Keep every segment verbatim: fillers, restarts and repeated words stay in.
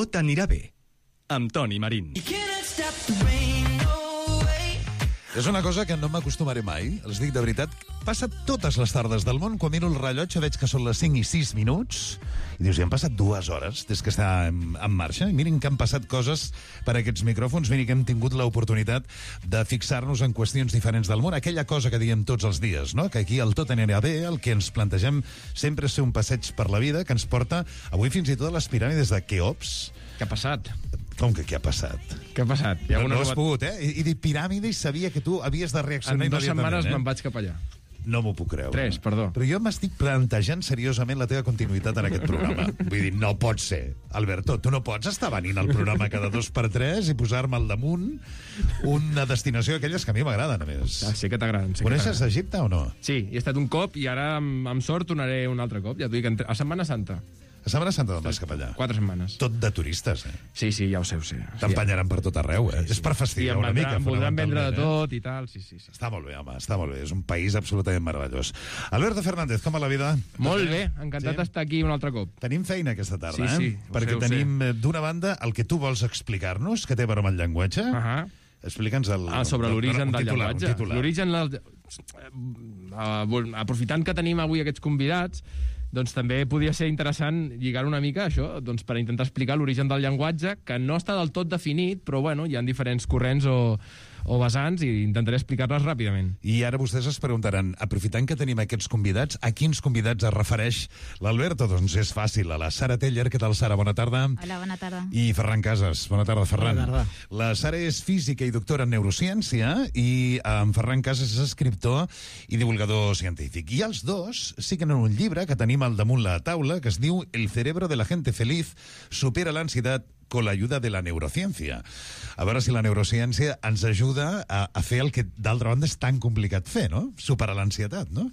Tot anirà bé, amb Toni Marín. És una cosa que no m'acostumaré mai, els dic de veritat. Passa totes les tardes del món, quan miro el rellotge veig que són les cinc i sis minuts, i dius, ja han passat dues hores des que està en, en marxa, i mirin que han passat coses per aquests micròfons, mirin que hem tingut l'oportunitat de fixar-nos en qüestions diferents del món, aquella cosa que diem tots els dies, no? Que aquí el tot anirà bé, el que ens plantegem sempre és ser un passeig per la vida, que ens porta avui fins i tot a les piràmides de Keops. Què ha passat? Com que què ha passat? Què ha passat? Hi ha no, no has pogut, eh? I, i dir piràmide i sabia que tu havies de reaccionar immediatament. En dues setmanes eh? me'n vaig cap allà. No m'ho puc creure. Tres, perdó. Però jo m'estic plantejant seriosament la teva continuïtat en aquest programa. Vull dir, no pot ser. Alberto, tu no pots estar venint al programa cada dos per tres i posar-me al damunt una destinació d'aquelles que a mi m'agraden, a més. Ah, sí que t'agraden. Sí Coneixes Egipte o no? Sí, he estat un cop i ara amb, amb sort tornaré un altre cop. Ja t'ho dic, a Setmana Santa. A Setmana Santa d'on vas cap allà? Quatre setmanes. Tot de turistes, eh? Sí, sí, ja ho sé, ho sé. T'empanyaran per tot arreu, eh? Sí, sí. És per fastidiar una mica. Em voldran vendre de tot i tal, sí, sí, sí. Està molt bé, home, està molt bé. És un país absolutament meravellós. Alberto Fernández, com va la vida? Molt bé, encantat d'estar aquí un altre cop. Tenim feina aquesta tarda, sí, eh? Sí, perquè sé, tenim, d'una banda, el que tu vols explicar-nos, que té a veure amb el llenguatge. Uh -huh. Explica'ns el... Ah, sobre l'origen del titular, llenguatge. L'origen... Aprofitant que tenim avui aquests convidats, doncs també podria ser interessant lligar una mica això, doncs per intentar explicar l'origen del llenguatge, que no està del tot definit, però bueno, hi ha diferents corrents o, o vessants i intentaré explicar-les ràpidament. I ara vostès es preguntaran, aprofitant que tenim aquests convidats, a quins convidats es refereix l'Alberto? Doncs és fàcil, a la Sara Teller. Què tal, Sara? Bona tarda. Hola, bona tarda. I Ferran Casas. Bona tarda, Ferran. Bona tarda. La Sara és física i doctora en neurociència i en Ferran Casas és escriptor i divulgador científic. I els dos siguen un llibre que tenim al damunt la taula que es diu El cerebro de la gente feliz supera l'ansiedad con la ayuda de la neurociència. A veure si la neurociència ens ajuda a, a fer el que d'altra banda és tan complicat fer, no? Superar l'ansietat, no?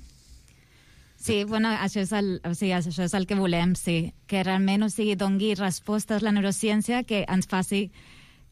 Sí, bueno, això és, el, o sigui, això és el que volem, sí. Que realment, o sigui, dongui respostes la neurociència que ens faci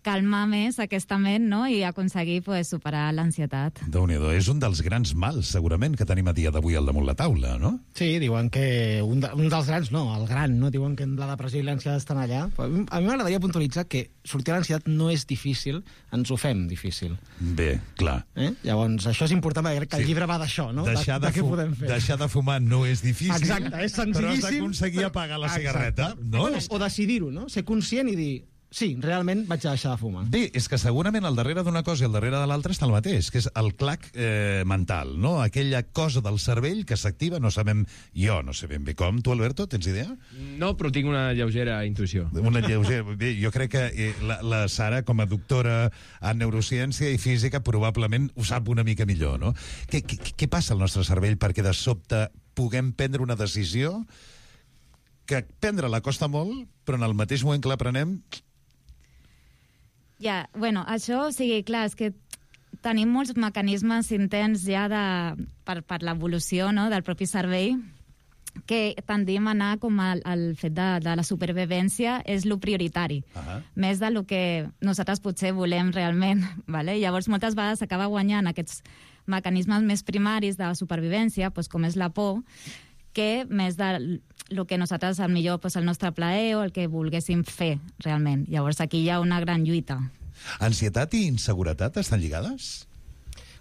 calmar més aquesta ment, no?, i aconseguir pues, superar l'ansietat. Déu-n'hi-do, és un dels grans mals, segurament, que tenim a dia d'avui al damunt la taula, no? Sí, diuen que un, de, un dels grans, no, el gran, no? Diuen que la depressió i l'ansietat estan allà. A mi m'agradaria puntualitzar que sortir a l'ansietat no és difícil, ens ho fem difícil. Bé, clar. Eh? Llavors, això és important, perquè crec que sí. El llibre va d'això, no? Deixar de, de, de, fu podem fer. deixar de fumar no és difícil. Exacte, és senzillíssim. Però has d'aconseguir apagar la cigarreta, no? O, o decidir-ho, no? Ser conscient i dir... Sí, realment vaig a deixar de fumar. Bé, és que segurament al darrere d'una cosa i al darrere de l'altra està el mateix, que és el clac eh, mental, no? Aquella cosa del cervell que s'activa, no sabem, jo no sé ben bé com. Tu, Alberto, tens idea? No, però tinc una lleugera intuïció. Una lleugera... Bé, jo crec que eh, la, la Sara, com a doctora en neurociència i física, probablement ho sap una mica millor, no? Què, què, què passa al nostre cervell perquè de sobte puguem prendre una decisió que prendre-la costa molt, però en el mateix moment que la prenem... Ja, bueno, això, o sigui, clar, és que tenim molts mecanismes intents ja de, per, per l'evolució, no?, del propi cervell, que tendim a anar com al, al fet de, de la supervivència és lo prioritari, uh-huh. més de lo que nosaltres potser volem realment, vale? Llavors moltes vegades s'acaba guanyant aquests mecanismes més primaris de supervivència, doncs, com és la por, que més de el que nosaltres, al millor, pues, el nostre plaer o el que volguéssim fer, realment. Llavors, aquí hi ha una gran lluita. Ansietat i inseguretat estan lligades?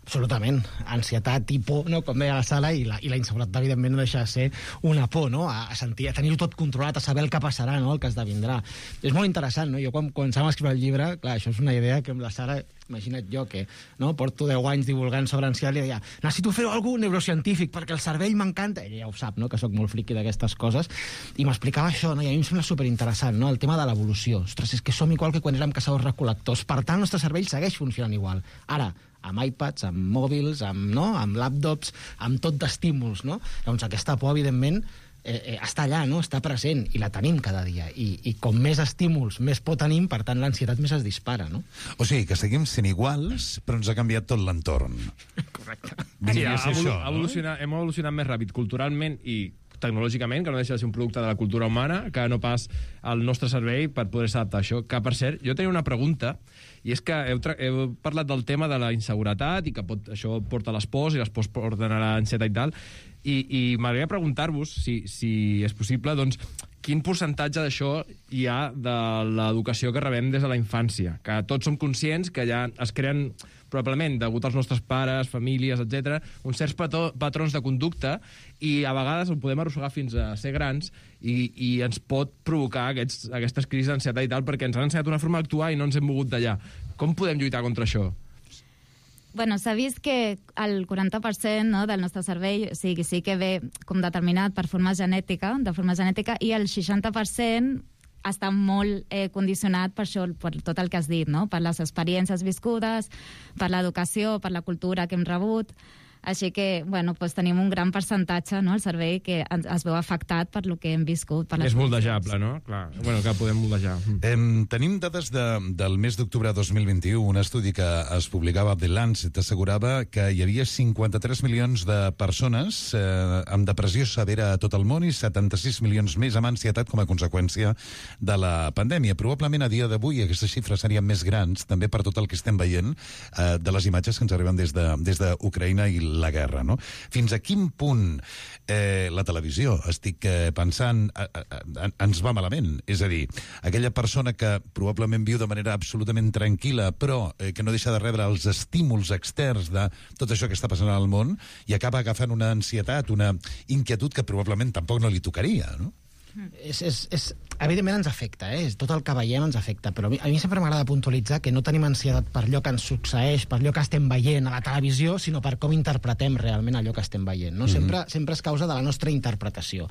Absolutament. Ansietat i por, no? Com deia la Sala, i la, i la inseguretat, evidentment, no deixa de ser una por, no? A, a sentir, a tenir-ho tot controlat, a saber el que passarà, no?, el que esdevindrà. És molt interessant, no? Jo, quan començàvem a escriure el llibre, clar, això és una idea que amb la Sara, imagina't jo, que no, porto deu anys divulgant sobre ansietat, i deia, necessito fer alguna cosa neurocientífic, perquè el cervell m'encanta. Ella ja ho sap, no?, que sóc molt friqui d'aquestes coses, i m'explicava això, no?, i a mi em sembla superinteressant, no?, el tema de l'evolució. Ostres, és que som igual que quan érem caçadors-recol·lectors. Per tant, el nostre cervell segueix funcionant igual. Ara, amb iPads, amb mòbils, amb, no? amb laptops, amb tot d'estímuls, no? Llavors aquesta por, evidentment, eh, eh, està allà, no? Està present, i la tenim cada dia. I, i com més estímuls, més por tenim, per tant l'ansietat més es dispara, no? O sigui, que seguim sent iguals, però ens ha canviat tot l'entorn. Correcte. Sí, ha això, evolu no? evolucionat, hem evolucionat més ràpid culturalment i tecnològicament, que no deixa de ser un producte de la cultura humana, que no pas el nostre cervell per poder-se adaptar a això. Que, per cert, jo tenia una pregunta, i és que heu, heu parlat del tema de la inseguretat i que pot, això porta a les pors i les pors porten a l'ansietat i tal, i, i m'agradaria preguntar-vos, si, si és possible, doncs, quin percentatge d'això hi ha de l'educació que rebem des de la infància? Que tots som conscients que ja es creen, probablement, degut als nostres pares, famílies, etcètera, uns certs pató, patrons de conducta, i a vegades ho podem arrossegar fins a ser grans i, i ens pot provocar aquests, aquestes crisis d'ansietat i tal, perquè ens han ensenyat una forma d'actuar i no ens hem mogut d'allà. Com podem lluitar contra això? Bueno, s'ha vist que el quaranta per cent, no, del nostre cervell sí, sí que ve com determinat per forma genètica, de forma genètica, i el seixanta per cent està molt eh, condicionat per això, per tot el que has dit, no? Per les experiències viscudes, per l'educació, per la cultura que hem rebut. Així que, bueno, pues tenim un gran percentatge, no?, el cervell que es veu afectat per lo que hem viscut. Per les és moldejable, no? Clar, bueno, que podem moldejar. Eh, tenim dades de, del mes d'octubre de dos mil vint-i-u. Un estudi que es publicava a The Lancet assegurava que hi havia cinquanta-tres milions de persones eh, amb depressió severa a tot el món i setanta-sis milions més amb ansietat com a conseqüència de la pandèmia. Probablement a dia d'avui aquestes xifres serien més grans, també per tot el que estem veient eh, de les imatges que ens arriben des de, des d'Ucraïna i la guerra, no? Fins a quin punt eh, la televisió, estic eh, pensant, eh, eh, ens va malament? És a dir, aquella persona que probablement viu de manera absolutament tranquil·la, però eh, que no deixa de rebre els estímuls externs de tot això que està passant al món i acaba agafant una ansietat, una inquietud que probablement tampoc no li tocaria, no? És, és, és, evidentment ens afecta, eh? Tot el que veiem ens afecta, però a mi, a mi sempre m'agrada puntualitzar que no tenim ansietat per allò que ens succeeix, per allò que estem veient a la televisió, sinó per com interpretem realment allò que estem veient, no? Mm-hmm. Sempre, sempre és causa de la nostra interpretació.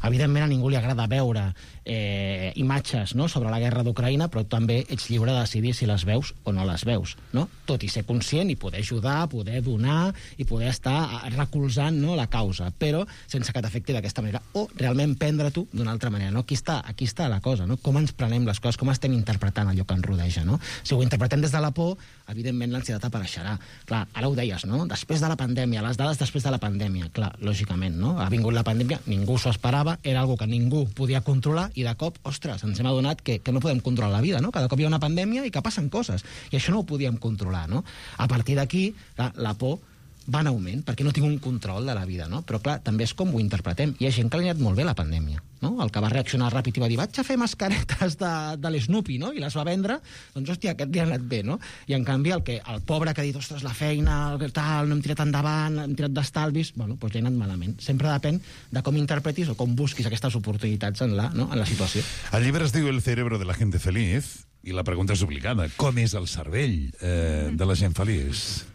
Evidentment a ningú li agrada veure eh, imatges, no?, sobre la guerra d'Ucraïna, però també ets lliure de decidir si les veus o no les veus, no? Tot i ser conscient i poder ajudar, poder donar i poder estar recolzant, no?, la causa, però sense que t'afecti d'aquesta manera, o realment prendre tu d'una altra manera, no? Aquí està, aquí està la cosa, no? Com ens prenem les coses, com estem interpretant allò que ens rodeja, no? Si ho interpretem des de la por, evidentment l'ansietat apareixerà. Clar, ara ho deies, no? Després de la pandèmia, les dades després de la pandèmia, clar, lògicament, no? Ha vingut la pandèmia, ningú s'ho esperava, era algo que ningú podia controlar i de cop, ostres, ens hem adonat que, que no podem controlar la vida, no? Cada cop hi ha una pandèmia i que passen coses, i això no ho podíem controlar, no? A partir d'aquí, la, la por va en augment, perquè no tinc un control de la vida, no? Però, clar, també és com ho interpretem. Hi ha gent que li ha anat molt bé la pandèmia, no? El que va reaccionar ràpid i va dir, vaig a fer mascaretes de, de l'Snoopy, no? I les va vendre, doncs, hòstia, aquest li ha anat bé, no? I, en canvi, el, que, el pobre que ha dit, ostres, la feina, tal, no hem tirat endavant, hem tirat d'estalvis, bueno, doncs li ha anat malament. Sempre depèn de com interpretis o com busquis aquestes oportunitats en la, no? En la situació. El llibre es diu El cerebro de la gente feliz, i la pregunta és obligada. Com és el cervell eh, de la gent feliç?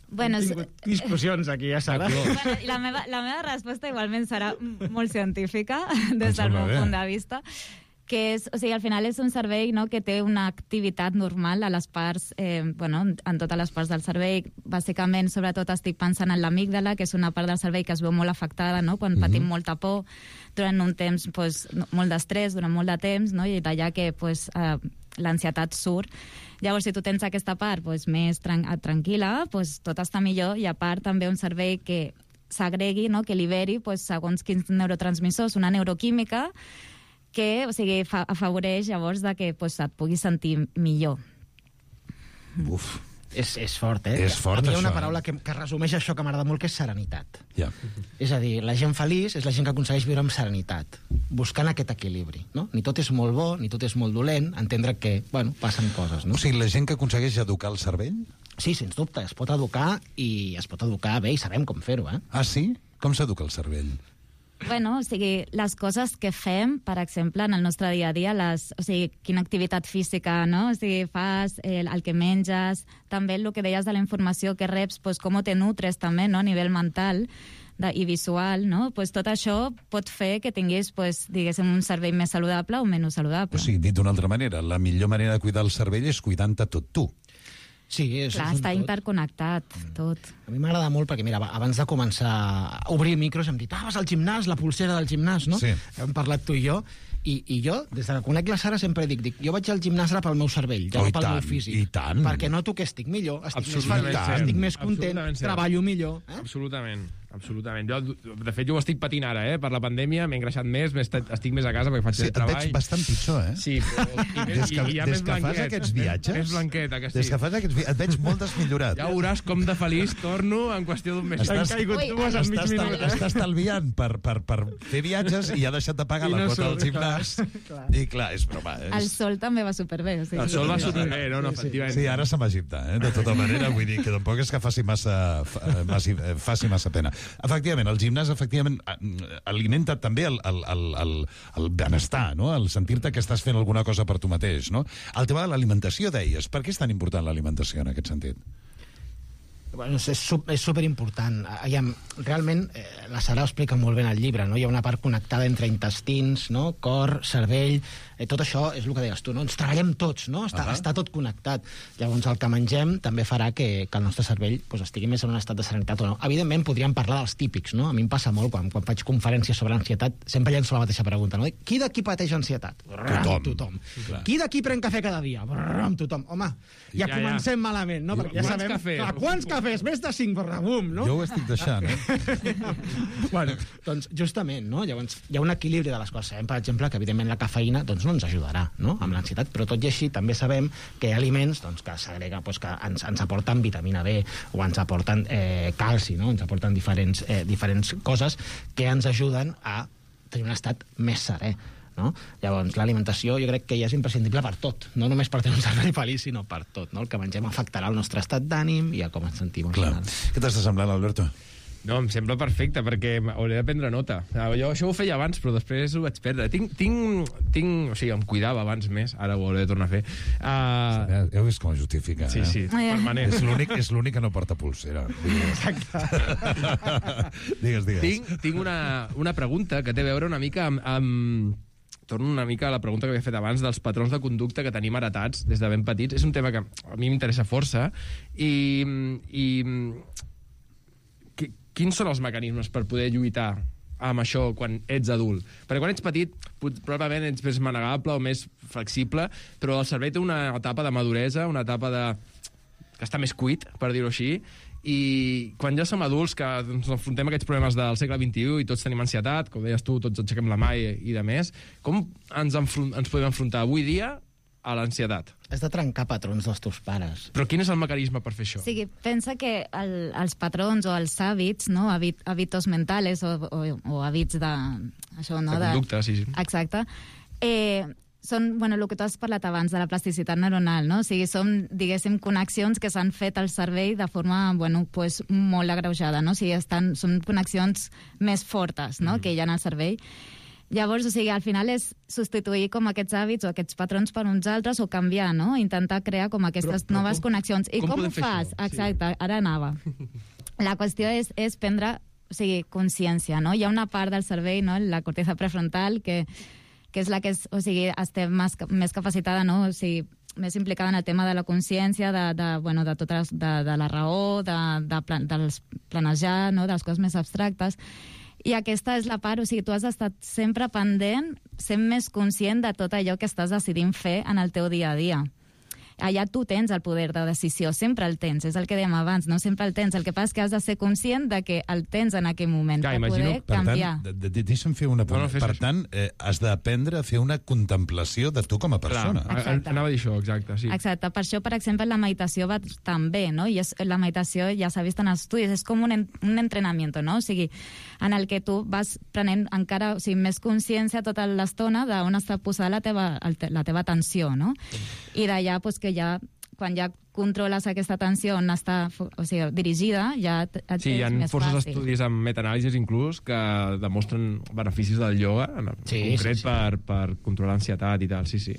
Bueno, Hem tingut discussions aquí, ja Sara. bueno, la, meva, la meva resposta igualment serà molt científica des del meu punt de vista, que és, o sigui, al final és un cervell, no?, que té una activitat normal a les parts, eh, bueno, en totes les parts del cervell. Bàsicament, sobretot estic pensant en l'amígdala, que és una part del cervell que es veu molt afectada, no?, quan patim mm-hmm. molta por, durant un temps, pues, molt d'estrès, durant molt de temps, no?, i d'allà que, pues, eh, l'ansietat surt. Llavors, si tu tens aquesta part pues, més tran tranquil·la, pues, tot està millor, i a part també un cervell que s'agregui, no?, que liberi pues, segons quins neurotransmissors, una neuroquímica que, o sigui, fa afavoreix llavors de que pues, et puguis sentir millor. Uf. És, és fort, eh? És fort, a mi hi ha una això, paraula eh? que, que resumeix això que m'agrada molt, que és serenitat. Ja. És a dir, la gent feliç és la gent que aconsegueix viure amb serenitat, buscant aquest equilibri, no? Ni tot és molt bo, ni tot és molt dolent, entendre que, bueno, passen coses, no? O sigui, la gent que aconsegueix educar el cervell? Sí, sens dubte, es pot educar i es pot educar bé i sabem com fer-ho, eh? Ah, sí? Com s'educa el cervell? Bueno, o sigui, les coses que fem, per exemple, en el nostre dia a dia, les, o sigui, quina activitat física, no?, o sigui, fas, eh, el que menges, també el que deies de la informació que reps, pues, com te nutres també, no?, a nivell mental de, i visual, no?, pues, tot això pot fer que tinguis, pues, diguéssim, un cervell més saludable o menys saludable. O sigui, dit d'una altra manera, la millor manera de cuidar el cervell és cuidant-te tot tu. Sí, és, Clar, és està tot. interconnectat, tot. A mi m'agrada molt perquè, mira, abans de començar a obrir micros hem dit, ah, vas al gimnàs, la pulsera del gimnàs, no? Sí. Hem parlat tu i jo, I, I jo, des que conec la Sara, sempre dic, dic jo vaig al gimnàs ara pel meu cervell, ja Oh, no i pel tant, meu físic. i tant. Perquè noto que estic millor, estic més Absolutament feliç, cert. estic més content, Absolutament cert. treballo millor. Eh? Absolutament. Absolutament. Jo, de fet, jo ho estic patint ara, eh? Per la pandèmia m'he engreixat més, m'he estat, estic més a casa perquè faig Sí, et treball. veig bastant pitjor, eh? Sí, però... I, Des que, i, i hi ha des més que fas blanquet. aquests viatges... Més blanqueta, que sí. Des que fas aquests viatges... Et veig molt desmillorat. Ja veuràs com de feliç torno en qüestió d'un mes. Estàs, caigut Ui, dues en mig estàs, minut. Eh? està estalviant per, per, per fer viatges i ha deixat de pagar I la no quota surt, del gimnàs. clar. I clar, és broma. És... El sol també va superbé. O sigui, El sol va superbé, no? no efectivament. Sí, ara se'n va a Egipte, eh? De tota manera, vull dir que tampoc és que faci massa, fa- massi, eh, faci massa pena. Efectivament, el gimnàs efectivament alimenta també el, el, el, el, el benestar, no? El sentir-te que estàs fent alguna cosa per tu mateix, no? El tema de l'alimentació, deies. Per què és tan important l'alimentació en aquest sentit? Bueno, és, sup- és superimportant. Aviam, realment, eh, la Sara ho explica molt bé en el llibre, no? Hi ha una part connectada entre intestins, no? Cor, cervell... Eh, tot això és el que deies tu, no? Ens treballem tots, no? Està, Uh-huh. està tot connectat. Llavors, el que mengem també farà que, que el nostre cervell pues, estigui més en un estat de serenitat o no. Evidentment, podríem parlar dels típics, no? A mi em passa molt, quan, quan faig conferències sobre ansietat, sempre llenço la mateixa pregunta, no? Qui d'aquí pateix ansietat? Brrr, Tothom. Tothom. Clar. Qui d'aquí pren cafè cada dia? Brrr, tothom. Home, ja, Ja, ja. comencem malament, no? Perquè ja Quants sabem... cafès? Clar, quants cafès? Més de cinc, brrr, bum, no? Jo ho estic deixant, eh? bueno, doncs justament, no? Llavors, hi ha un equilibri de les coses. Sabem, per exemple, que evidentment la cafeïna doncs, no ens ajudarà, no? Amb l'ansietat, però tot i així també sabem que hi ha aliments doncs, que s'agrega, doncs, que ens, ens aporten vitamina B o ens aporten eh, calci, no? Ens aporten diferents, eh, diferents coses que ens ajuden a tenir un estat més serè. No? Llavors, l'alimentació jo crec que ja és imprescindible per tot, no només per tenir un cervell feliç, sinó per tot, no? El que mengem afectarà el nostre estat d'ànim i a com ens sentim. Clar. Final. Què t'està semblant, Alberto? No, em sembla perfecte, perquè hauré de prendre nota. Jo això ho feia abans, però després ho vaig perdre. Tinc, tinc, tinc... O sigui, em cuidava abans més, ara ho hauré de tornar a fer. Uh, Ja, ja heu vist com es justifica, sí, eh? sí, Ah, ja. permanent. És l'únic, és l'únic que no porta pulsera. digues, digues. Tinc, tinc una, una pregunta que té a veure una mica amb... amb torno una mica a la pregunta que havia fet abans dels patrons de conducta que tenim heretats des de ben petits. És un tema que a mi m'interessa força i, i qui- quins són els mecanismes per poder lluitar amb això quan ets adult? Perquè quan ets petit pot- probablement ets més manegable o més flexible, però el cervell té una etapa de maduresa, una etapa de que està més cuit, per dir-ho així, i quan ja som adults, que ens enfrontem a aquests problemes del segle vint-i-u i tots tenim ansietat, com deies tu, tots aixequem la mà i, i de més, com ens, enfron ens podem enfrontar avui dia a l'ansietat? Has de trencar patrons dels teus pares. Però quin és el mecanisme per fer això? O sigui, pensa que el, els patrons o els hàbits, no? Habit, hábitos mentales o, o, o hàbits de... Això, no? De conducta, sí, sí. Exacte. Eh, són, bueno, el que tu has parlat abans de la plasticitat neuronal, no? O sigui, són, diguéssim, connexions que s'han fet al cervell de forma, bueno, pues, molt agreujada, no? O sigui, estan, són connexions més fortes, no?, mm. que hi ha en el cervell. Llavors, o sigui, al final és substituir com aquests hàbits o aquests patrons per uns altres o canviar, no? Intentar crear com aquestes Però- però noves com- connexions. I com com, podem ho fer fas? això? Sí. Exacte, ara anava. La qüestió és, és prendre, o sigui, consciència, no? Hi ha una part del cervell, no?, la corteza prefrontal, que, que és la que és, o sigui, estem més, més capacitada, no?, o sigui, més implicada en el tema de la consciència, de, de, bueno, de, totes, de, de la raó, de, de plan, dels planejar, no?, de les coses més abstractes. I aquesta és la part, o sigui, tu has estat sempre pendent, sent més conscient de tot allò que estàs decidint fer en el teu dia a dia. Allà tu tens el poder de decisió, sempre el tens, és el que dèiem abans, no? Sempre el tens, el que passa és que has de ser conscient de que el tens en aquell moment, Clar, per imagino- poder Per canviar. tant, de, de, deixa'm fer una No, no, apunt. fes per això. tant, eh, has d'aprendre a fer una contemplació de tu com a persona. Clar, Exacte. anava a dir això, exacte, sí. Exacte, per això, per exemple, la meditació va tan bé, no? I és, la meditació, ja s'ha vist en estudis, és com un, en, un entrenament, no? O sigui, en el que tu vas prenent encara, o sigui, més consciència tota l'estona d'on està posada la teva, el te- la teva atenció, no? I d'allà, pues, que ja, quan ja controles aquesta atenció on està, o sigui, dirigida, ja et, et Sí, hi ha és més forces fàcil. estudis amb metanàlisis inclús que demostren beneficis del ioga, en Sí, concret sí, sí. Per, per controlar l'ansietat i tal, sí, sí.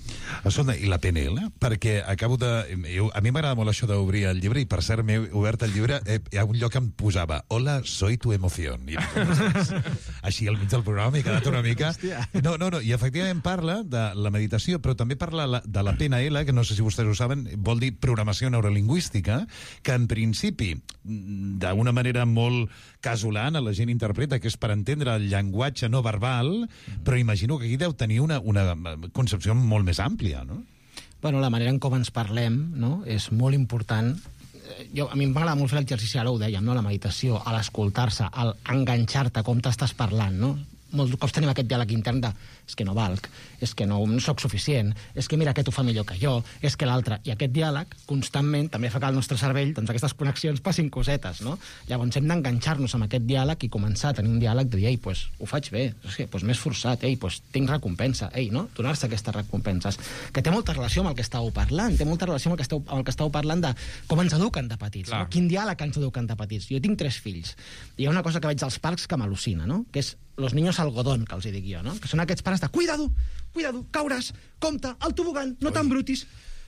Escolta, i la P N L? Perquè acabo de... jo- A mi m'agrada molt això d'obrir el llibre, i per cert m'he obert el llibre, eh, hi ha un lloc que em posava Hola, soy tu emoción. I, així al mig del programa m'he quedat una mica... No, no, no, i efectivament parla de la meditació, però també parla la- de la P N L, que no sé si vostès ho saben, vol dir programació programació neurolingüística, que en principi, d'una manera molt casolana, la gent interpreta que és per entendre el llenguatge no verbal, però imagino que aquí deu tenir una, una concepció molt més àmplia, no? Bueno, la manera en com ens parlem, no?, és molt important. Jo, a mi m'agrada molt fer l'exercici, ara ho dèiem, no?, la meditació, a l'escoltar-se, al enganxar-te com t'estàs parlant, no? Molts cops tenim aquest diàleg intern de és que no valc, és que no, no soc suficient, és que mira aquest ho fa millor que jo, és que l'altre. I aquest diàleg, constantment, també fa que al nostre cervell, doncs aquestes connexions passin cosetes, no? Llavors hem d'enganxar-nos amb aquest diàleg i començar a tenir un diàleg de dir, ei, pues, ho faig bé, és que, pues, m'he esforçat, ei, pues, tinc recompensa, ei, no? Donar-se aquestes recompenses, que té molta relació amb el que estàveu parlant, té molta relació amb el que esteu, amb el que esteu parlant de com ens eduquen de petits, no? Quin diàleg ens eduquen de petits. Jo tinc tres fills, i hi ha una cosa que veig als parcs que m'al·lucina, no?, que és los niños algodón, que els hi dic jo, no?, que són aquests pares de cuidado, cuidado, cauràs, compte, el tobogan, no t'embrutis.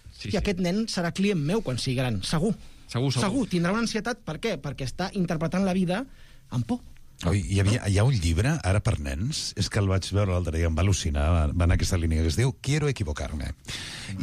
Sí, I sí. aquest nen serà client meu quan sigui gran, segur. Segur, segur. Segur, tindrà una ansietat, per què? Perquè està interpretant la vida amb por. Oi, hi, havia, hi ha un llibre, ara per nens, és que el vaig veure l'altre dia, em va al·lucinar, va en aquesta línia, que es diu Quiero equivocarme.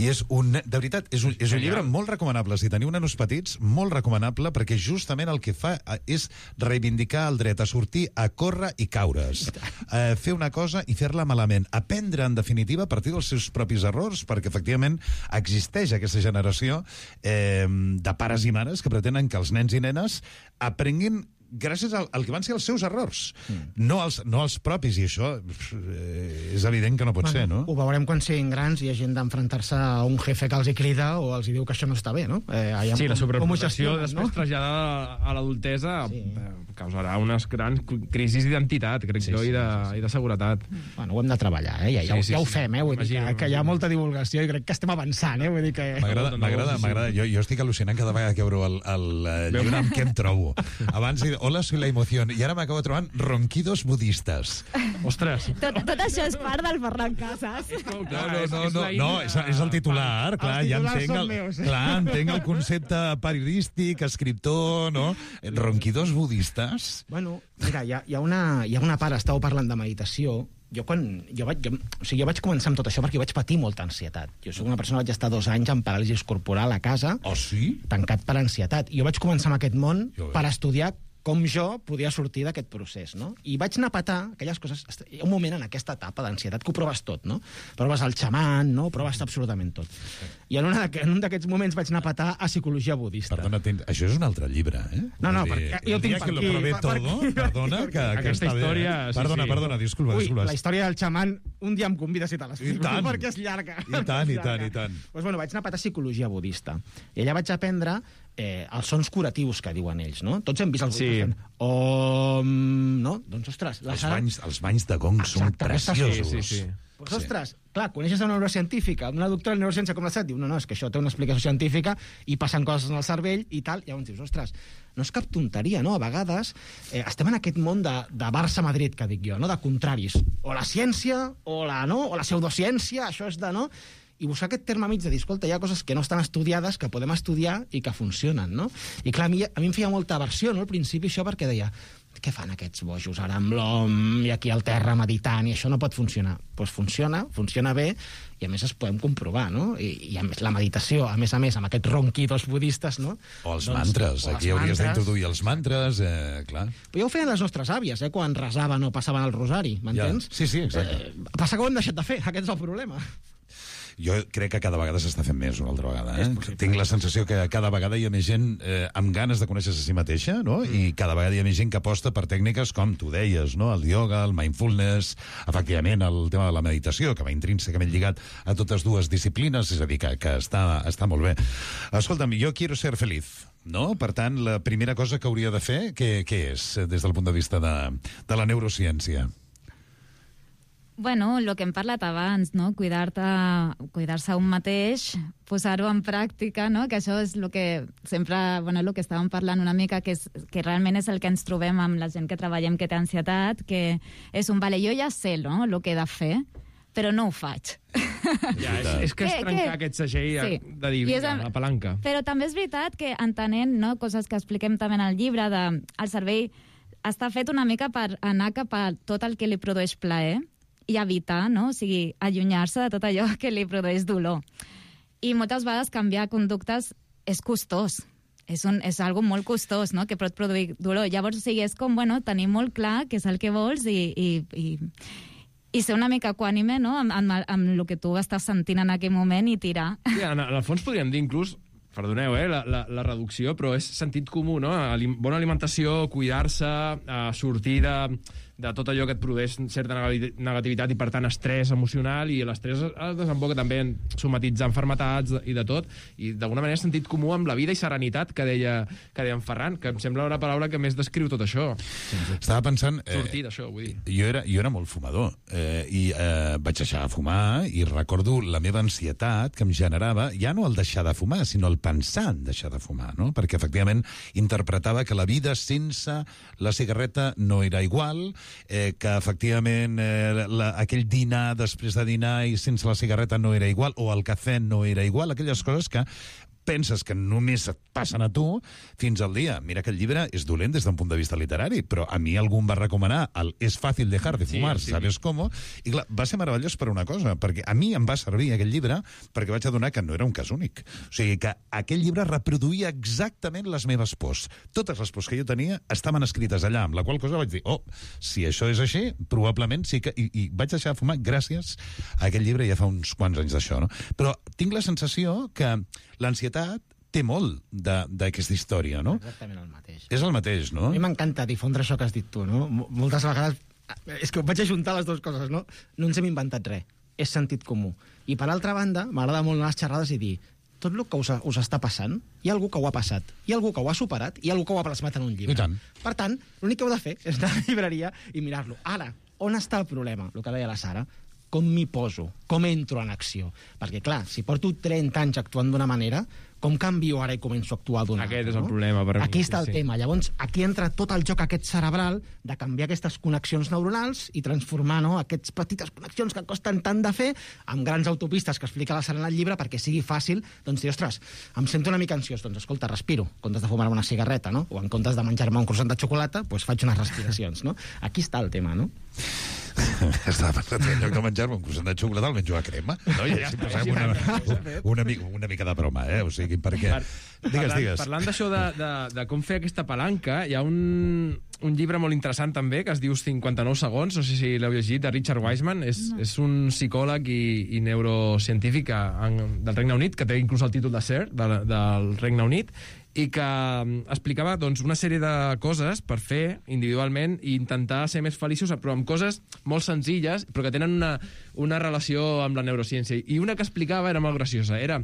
I és un, de veritat, és un, és un llibre molt recomanable. Si teniu nanos petits, molt recomanable, perquè justament el que fa és reivindicar el dret a sortir, a córrer i caure's. Eh, fer una cosa i fer-la malament. Aprendre, en definitiva, a partir dels seus propis errors, perquè, efectivament, existeix aquesta generació eh, de pares i mares que pretenen que els nens i nenes aprenguin gràcies al, al que van ser els seus errors, mm. no, els, no els propis, i això eh, és evident que no pot bueno, ser, no? Ho veurem quan siguin grans i hi ha gent d'enfrontar-se a un jefe que els hi crida o els hi diu que això no està bé, no? Eh, sí, com, la sobreprotecció després no? traslladada a l'adultesa sí. eh, causarà unes grans crisis d'identitat, crec sí, jo, sí, i, de, sí, sí. i de seguretat. Bueno, ho hem de treballar, eh? Ja, ja, sí, sí, ja ho sí. fem, eh? Vull dir que, que hi ha molta divulgació i crec que estem avançant, eh? Vull dir que... M'agrada, m'agrada, m'agrada. Jo, jo estic al·lucinant cada vegada que obro el, el, el llibre amb què em trobo. Abans, hola, soy la emoció, i ara m'acabo trobant ronquidos budistes. Ostres! Tot, tot això és part del Ferran Casas. No, no, no, no, no és, és el titular, clar, ja entenc el, clar, entenc el concepte periodístic, escriptor, no? Ronquidos budistes. Bueno, mira, hi ha, hi ha, una, hi ha una part, estàu parlant de meditació, jo quan jo vaig, jo, o sigui, jo vaig començar amb tot això perquè vaig patir molta ansietat. Jo soc una persona que vaig estar dos anys amb paràlisi corporal a casa, oh, sí? tancat per ansietat. I jo vaig començar amb aquest món jo per estudiar com jo podia sortir d'aquest procés, no? I vaig anar a petar aquelles coses... Hi ha un moment en aquesta etapa d'ansietat que ho proves tot, no? Proves el xaman, no? Proves absolutament tot. I en, una, en un d'aquests moments vaig anar a petar a psicologia budista. Perdona, ten... això és un altre llibre, eh? No, no, dir, perquè jo tinc per que aquí... lo probé per, todo, per, perdona, que, que aquesta està història... bé. Sí, perdona, sí. perdona, disculpa, Ui, disculpa. la història del xaman, un dia em convides i te l'explico, perquè és llarga. I tant, i tant, i tant. Pues, bueno, vaig anar a petar psicologia budista. I allà vaig aprendre eh, els sons curatius que diuen ells, no? Tots hem vist els Sí. fent om, no? Doncs, ostres... La Els Sara... banys, els banys de gong són Exacte, aquestes- preciosos. Sí, sí, sí. Pues, ostres, clar, coneixes una neurocientífica, una doctora en neurociència com la Sat, diu, no, no, és que això té una explicació científica i passen coses en el cervell i tal, i llavors dius, ostres, no és cap tonteria, no? A vegades eh, estem en aquest món de, de Barça-Madrid, que dic jo, no? De contraris. O la ciència, o la, no? O la pseudociència, això és de, no? I buscar aquest terme mig de dir, escolta, hi ha coses que no estan estudiades, que podem estudiar i que funcionen, no? I clar, a mi, a mi em feia molta aversió, no?, al principi, això, perquè deia, què fan aquests bojos ara amb l'hom i aquí al terra meditant, i això no pot funcionar. Doncs pues funciona, funciona bé, i a més es podem comprovar, no? I, i a més la meditació, a més a més, amb aquests ronquidos budistes, no? O els doncs, mantres, o els aquí hauries mantres. d'introduir els mantres, eh, clar. Però ja ho feien les nostres àvies, eh, quan resaven o passaven el rosari, m'entens? Ja. Sí, sí, exacte. Eh, passa que ho hem deixat de fer, aquest és el problema. Jo crec que cada vegada s'està fent més una altra vegada. Eh? Tinc la sensació que cada vegada hi ha més gent eh, amb ganes de conèixer-se a si mateixa, no? Mm. I cada vegada hi ha més gent que aposta per tècniques com tu deies, no? El yoga, el mindfulness, efectivament el tema de la meditació, que va intrínsecament lligat a totes dues disciplines, és a dir, que, que està, està molt bé. Escolta'm, jo quiero ser feliz, no? Per tant, la primera cosa que hauria de fer, què, què és, des del punt de vista de, de la neurociència? Bueno, el que hem parlat abans, no? Cuidar-te, cuidar-se un mateix, posar-ho en pràctica, no? Que això és el que sempre, bueno, el que estàvem parlant una mica, que, és, que realment és el que ens trobem amb la gent que treballem que té ansietat, que és un, vale, jo ja sé, no?, el que he de fer, però no ho faig. Ja, és, és que és Que- trencar que- aquest segell sí. de dir, I és vinga, amb- la palanca. Però també és veritat que entenent, no?, coses que expliquem també en el llibre, de, el cervell està fet una mica per anar cap a tot el que li produeix plaer i evitar, no?, o sigui, allunyar-se de tot allò que li produeix dolor. I moltes vegades canviar conductes és costós. És, un, és algo molt costós, no?, que pot produir dolor. Llavors, o sigui, és com, bueno, tenir molt clar què és el que vols i, i, i, i ser una mica equànime, no?, amb, amb, amb el que tu estàs sentint en aquell moment i tirar. Sí, en, en el fons podríem dir inclús, perdoneu, eh, la, la, la reducció, però és sentit comú, no? Alim, bona alimentació, cuidar-se, eh, sortir de, de tot allò que et produeix certa negativitat i, per tant, estrès emocional, i l'estrès es desemboca també en somatitzar malalties i de tot, i d'alguna manera sentit comú amb la vida i serenitat que deia, que deia en Ferran, que em sembla una paraula que més descriu tot això. Estava pensant... Eh, Sortir d'això, vull dir. Jo era, jo era molt fumador, eh, i eh, vaig deixar de fumar, i recordo la meva ansietat que em generava, ja no el deixar de fumar, sinó el pensar en deixar de fumar, no? Perquè, efectivament, interpretava que la vida sense la cigarreta no era igual, eh, que, efectivament, eh, la, aquell dinar després de dinar i sense la cigarreta no era igual, o el cafè no era igual, aquelles coses que penses que només et passen a tu fins al dia. Mira que el llibre és dolent des d'un punt de vista literari, però a mi algú em va recomanar el És fàcil dejar de fumar, sí, sí. ¿Sabes cómo? I clar, va ser meravellós per una cosa, perquè a mi em va servir aquell llibre perquè vaig adonar que no era un cas únic. O sigui, que aquell llibre reproduïa exactament les meves pors. Totes les pors que jo tenia estaven escrites allà, amb la qual cosa vaig dir, oh, si això és així, probablement sí que... I, i vaig deixar de fumar gràcies a aquell llibre ja fa uns quants anys d'això, no? Però tinc la sensació que l'ansietat té molt d'aquesta història, no? Exactament el mateix. És el mateix, no? A mi m'encanta difondre això que has dit tu, no? Moltes vegades... És que vaig ajuntar les dues coses, no? No ens hem inventat res. És sentit comú. I, per altra banda, m'agrada molt anar a les xerrades i dir tot el que us, us està passant, hi ha algú que ho ha passat, hi ha algú que ho ha superat, hi ha algú que ho ha plasmat en un llibre. I tant. Per tant, l'únic que heu de fer és anar a la llibreria i mirar-lo. Ara, on està el problema? El que deia la Sara. Com m'hi poso? Com entro en acció? Perquè, clar, si porto trenta anys actuant d'una manera, com canvio ara i començo a actuar d'una altra? Aquest és el no? problema per mi. Aquí està el sí. tema. Llavors, aquí entra tot el joc aquest cerebral de canviar aquestes connexions neuronals i transformar, no?, aquestes petites connexions que costen tant de fer amb grans autopistes que explica la Sara en el llibre perquè sigui fàcil, doncs dir, ostres, em sento una mica ansiós, doncs escolta, respiro, en comptes de fumar una cigarreta, no? O en comptes de menjar-me un croissant de xocolata, doncs faig unes respiracions, no? Aquí està el tema, no? Estava pensant que en lloc de menjar-me un croissant de xocolata el menjo a crema, no? I així passem una, una, mica, una mica de broma, eh? O sigui, perquè... Per, digues, parlant, digues. Parlant d'això de, de, de com fer aquesta palanca, hi ha un, un llibre molt interessant també que es diu cinquanta-nou segons, no sé si l'heu llegit, de Richard Wiseman. És, no. és un psicòleg i, i neurocientífic en, del Regne Unit, que té inclús el títol de Sir, de, del Regne Unit, i que explicava doncs, una sèrie de coses per fer individualment i intentar ser més feliços, però amb coses molt senzilles, però que tenen una, una relació amb la neurociència. I una que explicava era molt graciosa. Era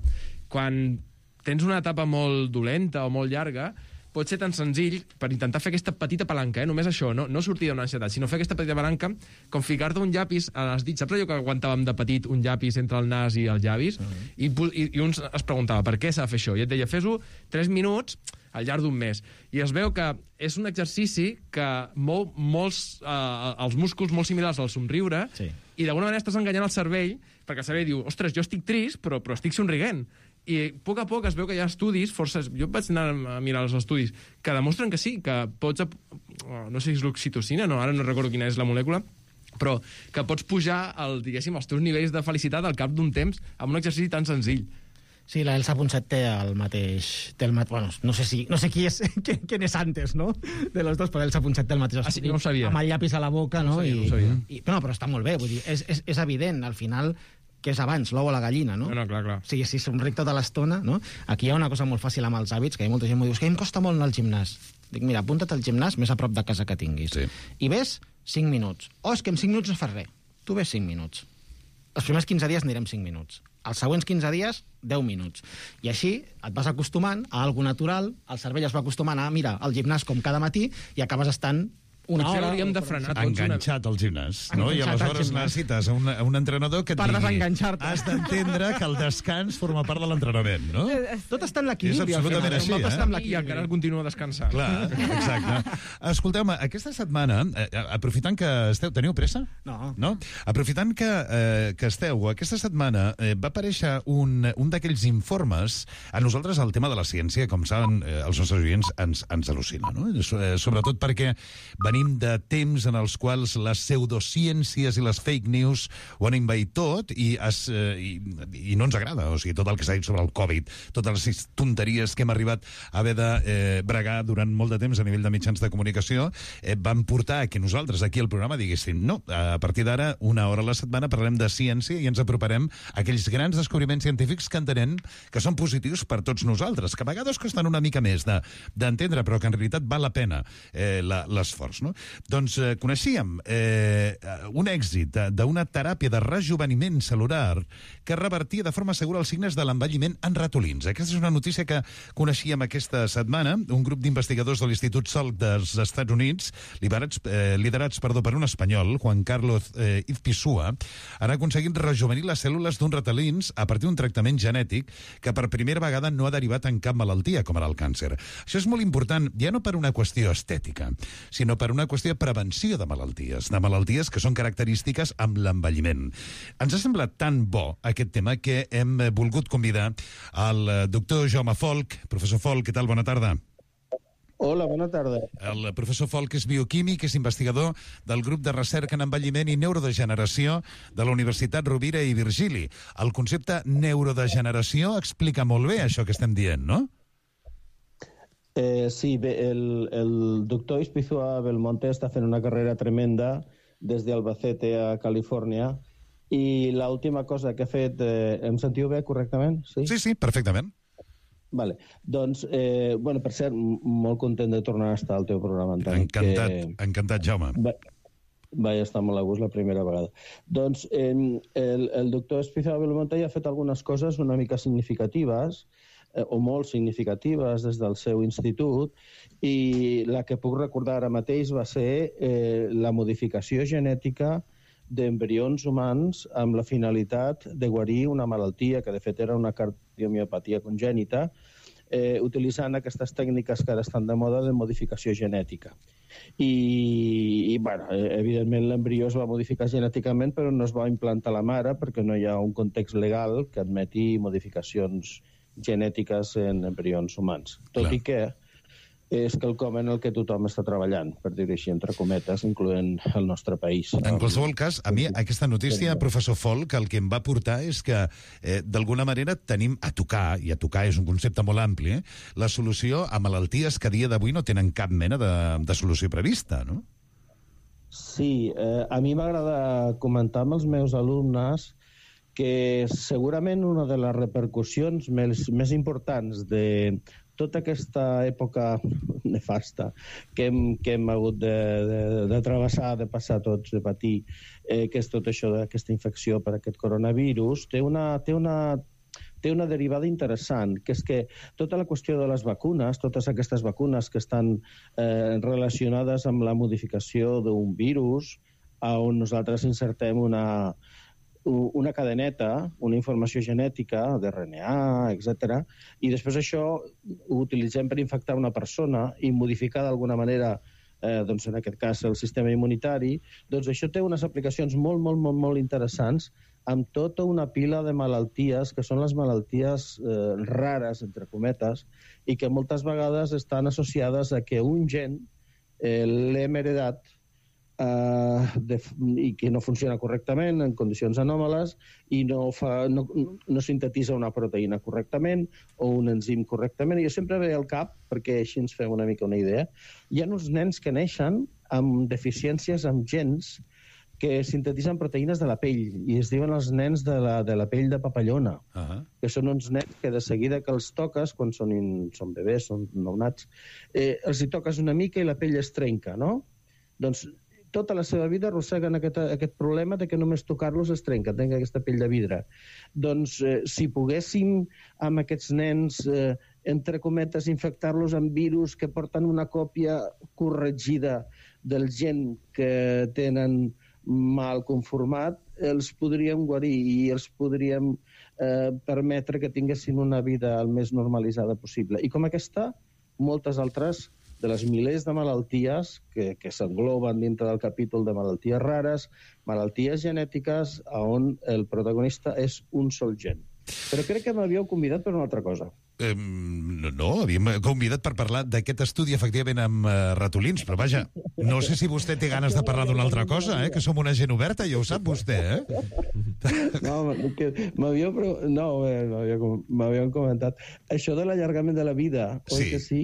quan tens una etapa molt dolenta o molt llarga, pot ser tan senzill, per intentar fer aquesta petita palanca, eh? Només això, no, no sortir d'una ansietat, sinó fer aquesta petita palanca, com ficar-te un llapis a les dits. Saps allò que aguantàvem de petit, un llapis entre el nas i els llavis? Uh-huh. I, i, I un es preguntava, per què s'ha de fer això? I et deia, fes-ho tres minuts al llarg d'un mes. I es veu que és un exercici que mou molts, eh, els músculs molt similars al somriure, sí. I d'alguna manera estàs enganyant el cervell, perquè el cervell diu, ostres, jo estic trist, però, però estic somrient. I a poc a poc es veu que hi ha estudis, forces, jo vaig anar a mirar els estudis, que demostren que sí, que pots, no sé si és l'oxitocina, no, ara no recordo quina és la molècula, però que pots pujar, el, diguéssim, els teus nivells de felicitat al cap d'un temps amb un exercici tan senzill. Sí, la Elsa Ponset té el mateix... Té el mat... bueno, no sé, si, no sé qui és, quién és antes, no?, de los dos, però Elsa Ponset té el mateix estudi. Ah, sí, no ho sabia. Amb el llapis a la boca, no? No ho sabia, I, no ho sabia. I, però, no, però està molt bé, vull dir, és, és, és evident, al final, que és abans, l'ou o la gallina, no? No, no, clar, clar. O sigui, si somric tota l'estona, no? Aquí hi ha una cosa molt fàcil amb els hàbits, que hi ha molta gent que m'ho diu, que em costa molt anar al gimnàs. Dic, mira, apunta't al gimnàs més a prop de casa que tinguis. Sí. I ves cinc minuts. Oh, és que en cinc minuts no fas res. Tu ves cinc minuts. Els primers quinze dies anirem cinc minuts. Els següents quinze dies, deu minuts. I així et vas acostumant a algo natural, el cervell es va acostumant a mirar al gimnàs com cada matí i acabes estant una Potser hora... hauríem de frenar tots enganxat al gimnàs, no? I aleshores necessites un, un entrenador que et per digui... desenganxar-te. Has d'entendre que el descans forma part de l'entrenament, no? Tot està en l'equilibri. És absolutament així, eh? I encara continua descansant. Clar, exacte. Escolteu-me, aquesta setmana, eh, aprofitant que esteu... Teniu pressa? No. No? Aprofitant que, eh, que esteu, aquesta setmana eh, va aparèixer un, un d'aquells informes. A nosaltres el tema de la ciència, com saben, eh, els nostres oients ens, ens al·lucina, no? Eh, sobretot perquè venim venim de temps en els quals les pseudociències i les fake news ho han envaït tot i, es, eh, i, i no ens agrada. O sigui, tot el que s'ha dit sobre el Covid, totes les tonteries que hem arribat a haver de eh, bregar durant molt de temps a nivell de mitjans de comunicació, eh, van portar a que nosaltres aquí al programa diguéssim no, a partir d'ara, una hora a la setmana parlarem de ciència i ens aproparem a aquells grans descobriments científics que entenem que són positius per tots nosaltres, que a vegades costen una mica més d'entendre, de, però que en realitat val la pena eh, l'esforç. No? Doncs eh, coneixíem eh, un èxit d'una teràpia de rejuveniment celular que revertia de forma segura els signes de l'envelliment en ratolins. Aquesta és una notícia que coneixíem aquesta setmana. Un grup d'investigadors de l'Institut Salk dels Estats Units, liderats, eh, liderats perdó, per un espanyol, Juan Carlos eh, Izpisua, han aconseguit rejuvenir les cèl·lules d'uns ratolins a partir d'un tractament genètic que per primera vegada no ha derivat en cap malaltia, com ara el càncer. Això és molt important, ja no per una qüestió estètica, sinó per una qüestió de prevenció de malalties, de malalties que són característiques amb l'envelliment. Ens ha semblat tan bo aquest tema que hem volgut convidar al doctor Jaume Folch. Professor Folch, què tal? Bona tarda. Hola, bona tarda. El professor Folch és bioquímic, és investigador del grup de recerca en envelliment i neurodegeneració de la Universitat Rovira i Virgili. El concepte neurodegeneració explica molt bé això que estem dient, no? Eh, sí, bé, el, el doctor Izpisua Belmonte està fent una carrera tremenda des d'Albacete a Califòrnia i l'última cosa que ha fet... Eh, em sentiu bé correctament? Sí, sí, sí, perfectament. Vale. Doncs, eh, bueno, per cert, molt content de tornar a estar al teu programa, Antoni. Encantat, que... encantat, Jaume. Va... Vaig estar molt a gust la primera vegada. Doncs eh, el, el doctor Izpisua Belmonte ha fet algunes coses una mica significatives, eh, o molt significatives des del seu institut, i la que puc recordar ara mateix va ser eh, la modificació genètica d'embrions humans amb la finalitat de guarir una malaltia, que de fet era una cardiomiopatia congènita, eh, utilitzant aquestes tècniques que ara estan de moda de modificació genètica. I, i bueno, evidentment l'embrió es va modificar genèticament, però no es va implantar a la mare perquè no hi ha un context legal que admeti modificacions genètiques en embrions humans. Tot Clar. I que és quelcom en el que tothom està treballant, per dir-ho així, entre cometes, incloent el nostre país. En qualsevol cas, a mi aquesta notícia, professor Folch, el que em va portar és que, eh, d'alguna manera, tenim a tocar, i a tocar és un concepte molt ampli, eh, la solució a malalties que a dia d'avui no tenen cap mena de, de solució prevista, no? Sí, eh, a mi m'agrada comentar amb els meus alumnes que segurament una de les repercussions més, més importants de tota aquesta època nefasta que hem, que hem hagut de, de, de travessar, de passar tots, de patir, eh, que és tot això d'aquesta infecció per aquest coronavirus, té una, té una, té una derivada interessant, que és que tota la qüestió de les vacunes, totes aquestes vacunes que estan eh, relacionades amb la modificació d'un virus, on nosaltres insertem una... una cadeneta, una informació genètica, d'R N A, etcètera, i després això ho utilitzem per infectar una persona i modificar d'alguna manera, eh, doncs en aquest cas, el sistema immunitari, doncs això té unes aplicacions molt, molt, molt, molt interessants amb tota una pila de malalties que són les malalties eh, rares, entre cometes, i que moltes vegades estan associades a que un gen eh, l'hem heredat Uh, de, i que no funciona correctament en condicions anòmales i no, fa, no, no sintetitza una proteïna correctament o un enzim correctament. I jo sempre ve al cap, perquè així ens fem una mica una idea, hi ha uns nens que neixen amb deficiències amb gens que sintetitzen proteïnes de la pell i es diuen els nens de la, de la pell de papallona, uh-huh. que són uns nens que de seguida que els toques, quan són, in, són bebès, són nounats, eh, els hi toques una mica i la pell es trenca, no? Doncs tota la seva vida arrosseguen aquest, aquest problema de que només tocar-los es trenca, tenen aquesta pell de vidre. Doncs eh, si poguéssim amb aquests nens, eh, entre cometes, infectar-los amb virus que porten una còpia corregida del gen que tenen mal conformat, els podríem guarir i els podríem eh, permetre que tinguessin una vida el més normalitzada possible. I com aquesta, moltes altres de les milers de malalties que, que s'engloben dintre del capítol de malalties rares, malalties genètiques on el protagonista és un sol gen. Però crec que m'havíeu convidat per una altra cosa. Eh, no, no, havíem convidat per parlar d'aquest estudi, efectivament, amb uh, ratolins, però vaja, no sé si vostè té ganes de parlar d'una altra cosa, eh? Que som una gent oberta, ja ho sap vostè, eh? No, que m'havíeu pro... no, eh, m'havíeu m'havíeu comentat. Això de l'allargament de la vida, oi Sí. que sí?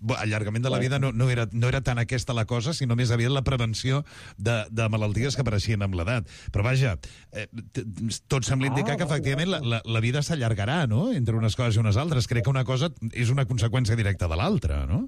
Bo, allargament de la vida no, no, era, no era tant aquesta la cosa, sinó més aviat la prevenció de, de malalties que apareixien amb l'edat. Però vaja, eh, t- tot sembla indicar Ah, que efectivament la, la, la vida s'allargarà, no?, entre unes coses i unes altres. Crec que una cosa és una conseqüència directa de l'altra, no?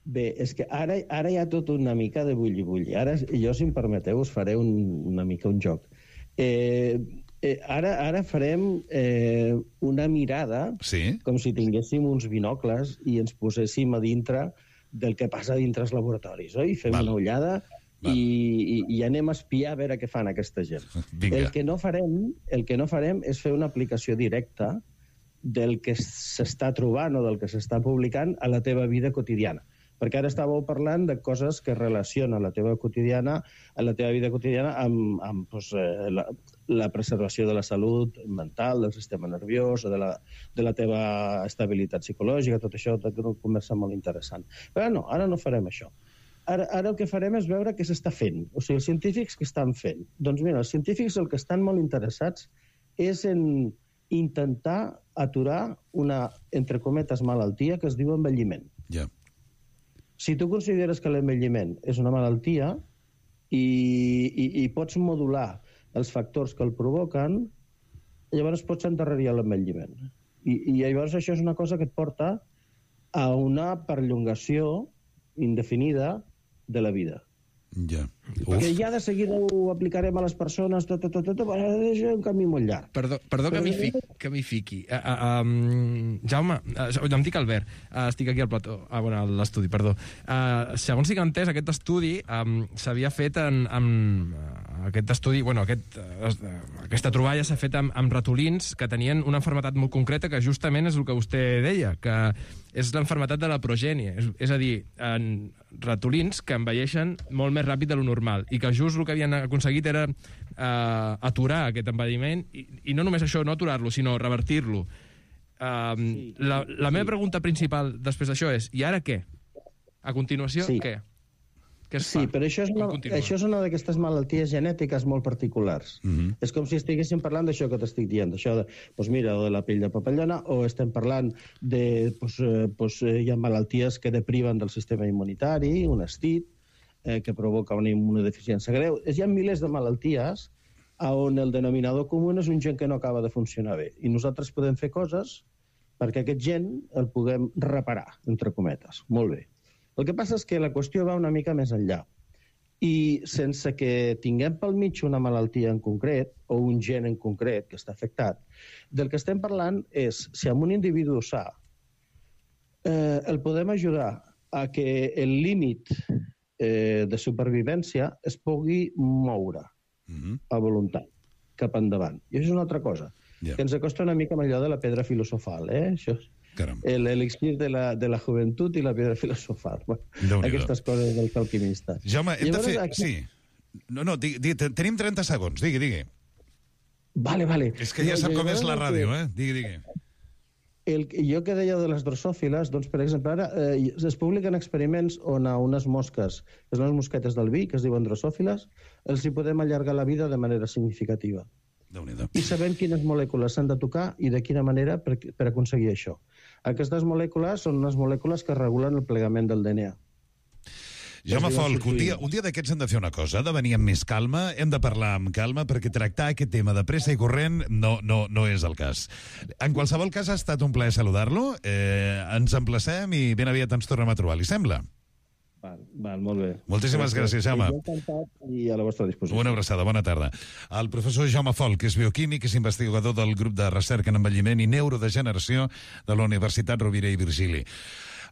Bé, és que ara, ara hi ha tot una mica de bulli-bulli. Ara, jo, si em permeteu, us faré un, una mica un joc. Eh, eh, ara, ara farem eh, una mirada Sí. com si tinguéssim uns binocles i ens poséssim a dintre del que passa dintre els laboratoris, oi? Fem Val. una ullada Val. i, i, i anem a espiar a veure què fan aquesta gent. Vinga. El que no farem, el que no farem és fer una aplicació directa del que s'està trobant o del que s'està publicant a la teva vida quotidiana. Perquè ara estàveu parlant de coses que relacionen la teva quotidiana, a la teva vida quotidiana amb, amb doncs, eh, la, la preservació de la salut mental, del sistema nerviós, o de la, de la teva estabilitat psicològica, tot això, tot una conversa molt interessant. Però no, ara no farem això. Ara, ara el que farem és veure què s'està fent. O sigui, els científics què estan fent? Doncs mira, els científics el que estan molt interessats és en intentar aturar una, entre cometes, malaltia que es diu envelliment. Ja. Si tu consideres que l'envelliment és una malaltia i, i, i pots modular els factors que el provoquen, llavors pots endarrerir l'envelliment. I, I llavors això és una cosa que et porta a una perllongació indefinida de la vida. Ja. Que ja de seguida ho aplicarem a les persones, tot, tot, tot, tot, però és un camí molt llarg. Perdó, perdó que m'hi fiqui. Que m'hi fiqui. Uh, uh, um, Jaume, uh, em dic Albert, uh, estic aquí al plató, ah, bueno, a l'estudi, perdó. Uh, segons si que he entès, aquest estudi um, s'havia fet en, en uh, aquest estudi, bueno, aquest, uh, aquesta troballa s'ha fet amb, amb ratolins que tenien una malaltia molt concreta que justament és el que vostè deia, que és l'enfermetat de la progènie. És, és a dir, en ratolins que envelleixen molt més ràpid de lo normal i que just el que havien aconseguit era uh, aturar aquest envelliment i, i no només això, no aturar-lo, sinó revertir-lo. Uh, sí, la la sí. meva pregunta principal després d'això és, i ara què? A continuació, Sí. què? Què es Sí, fa? però això és una, Com continua? això és una d'aquestes malalties genètiques molt particulars. Mm -hmm. És com si estiguéssim parlant d'això que t'estic dient, d'això de, doncs mira, o de la pell de papallona, o estem parlant de, doncs, eh, doncs, eh, hi ha malalties que depriven del sistema immunitari, un estit, eh, que provoca una immunodeficiència greu. Hi ha milers de malalties on el denominador comú és un gen que no acaba de funcionar bé. I nosaltres podem fer coses perquè aquest gen el puguem reparar, entre cometes. Molt bé. El que passa és que la qüestió va una mica més enllà. I sense que tinguem pel mig una malaltia en concret, o un gen en concret que està afectat, del que estem parlant és si amb un individu sa eh, el podem ajudar a que el límit eh, de supervivència es pugui moure Mm -hmm. a voluntat, cap endavant. I això és una altra cosa, Ja. que ens acosta una mica amb allò de la pedra filosofal, eh? Això és Caram. el elixir de la, de la joventut i la pedra filosofal. Bueno, Déu-n'hi-do. aquestes coses dels alquimistes. Jaume, hem Llavors, de fer... aquí- Sí. No, no, digui, digui, tenim trenta segons. Digui, digui. Vale, vale. És que ja No, sap com llavors és la el que- ràdio, eh? Digui, digui. El, jo que deia de les drosòfiles, doncs, per exemple, ara eh, es publiquen experiments on a unes mosques, que són les mosquetes del vi, que es diuen drosòfiles, els hi podem allargar la vida de manera significativa. Déu-n'hi-do. I sabem quines molècules s'han de tocar i de quina manera per, per aconseguir això. Aquestes molècules són unes molècules que regulen el plegament del D N A. Jaume Es diuen Folch, un dia, sulfuriles. un dia d'aquests hem de fer una cosa, ha de venir amb més calma, hem de parlar amb calma, perquè tractar aquest tema de pressa i corrent no, no, no és el cas. En qualsevol cas, ha estat un plaer saludar-lo, eh, ens emplacem i ben aviat ens tornem a trobar, li sembla? Val, val, molt bé. Moltíssimes gràcies, Jaume. Jo encantat i a la vostra disposició. Una abraçada, bona tarda. El professor Jaume Folch, que és bioquímic, és investigador del grup de recerca en envelliment i neurodegeneració de la Universitat Rovira i Virgili.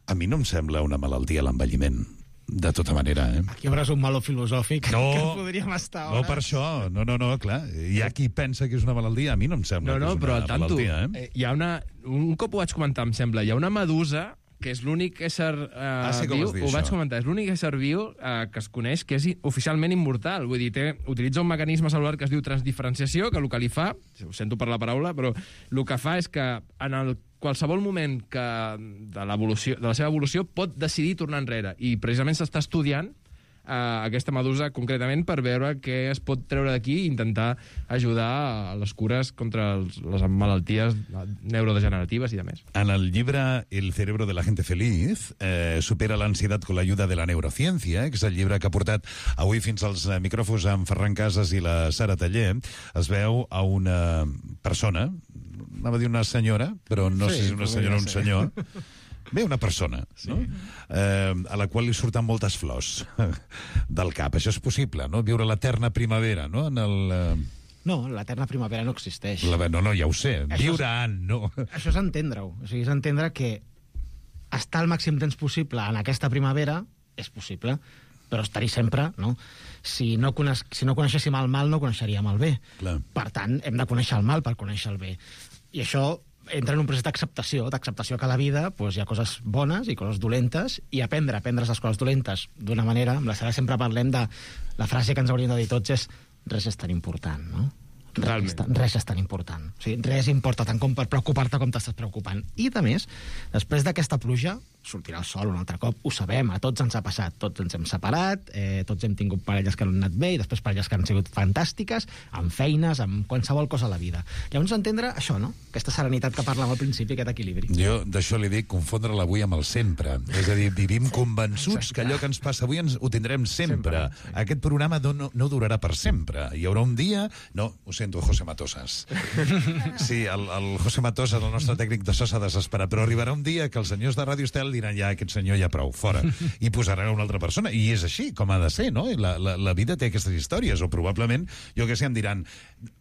A mi no em sembla una malaltia l'envelliment, de tota manera, eh? Aquí hauràs un malo filosòfic No, que podríem estar no hores. per això, no, no, no, clar. Hi ha qui pensa que és una malaltia, a mi no em sembla No, no, que és però una al tanto, malaltia, eh? eh, hi ha una... Un cop ho vaig comentar, em sembla, hi ha una medusa que és l'únic ésser uh, Ah, sí que ho viu, vas dir, ho vaig això. comentar, és l'únic ésser viu uh, que es coneix que és i- oficialment immortal. Vull dir, té, utilitza un mecanisme celular que es diu transdiferenciació, que el que li fa, ho sento per la paraula, però el que fa és que en el qualsevol moment que de, l'evolució, de la seva evolució pot decidir tornar enrere. I precisament s'està estudiant eh, aquesta medusa concretament per veure què es pot treure d'aquí i intentar ajudar a les cures contra els, les malalties neurodegeneratives i de més. En el llibre El cerebro de la gente feliz, eh, supera l'ansietat con l'ajuda de la neurociència, que és el llibre que ha portat avui fins als eh, micròfons amb Ferran Casas i la Sara Taller. Es veu a una persona, anava a dir una senyora, però no Sí, sé si és una senyora o un senyor. Bé, una persona, sí. no? Eh, a la qual li surten moltes flors del cap. Això és possible, no? Viure l'eterna primavera, no? En el... Eh, No, l'eterna primavera no existeix. la, no, no, ja ho sé. Això Viure és- en, no. Això és entendre-ho. O sigui, és entendre que estar el màxim temps possible en aquesta primavera és possible, però estar-hi sempre, no? Si no, coneix, si no coneixéssim el mal, no coneixeríem el bé. Clar. Per tant, hem de conèixer el mal per conèixer el bé. I això entra en un procés d'acceptació, d'acceptació que a la vida doncs, hi ha coses bones i coses dolentes, i aprendre, aprendre les coses dolentes d'una manera, amb la Sara sempre parlem de la frase que ens hauríem de dir tots és res és tan important, no? Res, és tan- res és tan important. O sigui, res importa tant com per preocupar-te com t'estàs preocupant. I, a més, després d'aquesta pluja, sortirà el sol un altre cop, ho sabem, a tots ens ha passat, tots ens hem separat, eh, tots hem tingut parelles que no han anat bé, i després parelles que han sigut fantàstiques, amb feines, amb qualsevol cosa a la vida. Llavors entendre això, no? Aquesta serenitat que parlàvem al principi, aquest equilibri. Jo d'això li dic confondre l'avui amb el sempre. És a dir, vivim convençuts que allò que ens passa avui ens ho tindrem sempre. sempre sí. Aquest programa no, no, no durarà per sempre. Hi haurà un dia... No, ho sento, José Matosas. Sí, el, el José Matosas, el nostre tècnic de so, s'ha desesperat, però arribarà un dia que els senyors de Ràdio Estel diran ja, aquest senyor ja prou, fora, i posaran una altra persona. I és així, com ha de ser, no? I la, la, la vida té aquestes històries, o probablement, jo que sé, em diran,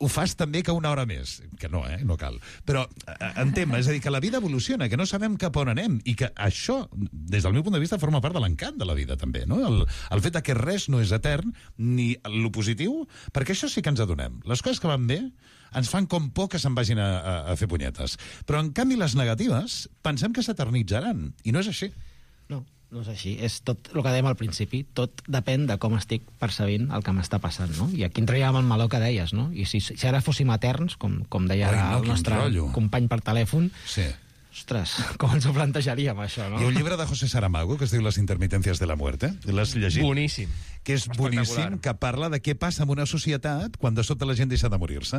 ho fas també que una hora més. Que no, eh? No cal. Però eh, entén, és a dir, que la vida evoluciona, que no sabem cap on anem, i que això, des del meu punt de vista, forma part de l'encant de la vida, també, no? El, el fet de que res no és etern, ni lo positiu, perquè això sí que ens adonem. Les coses que van bé ens fan com por que se'n vagin a, a, a fer punyetes. Però, en canvi, les negatives pensem que s'eternitzaran, i no és així. No, no és així. És tot el que dèiem al principi. Tot depèn de com estic percebint el que m'està passant, no? I aquí entraríem al meló que deies, no? I si, si ara fóssim eterns, com, com deia Ai, no, el quin nostre rotllo. company per telèfon, Sí. ostres, com ens ho plantejaríem, això, no? Hi ha un llibre de José Saramago que es diu Las intermitencias de la muerte. L'has llegit? Boníssim. Que és boníssim, que parla de què passa en una societat quan de sobte la gent deixa de morir-se.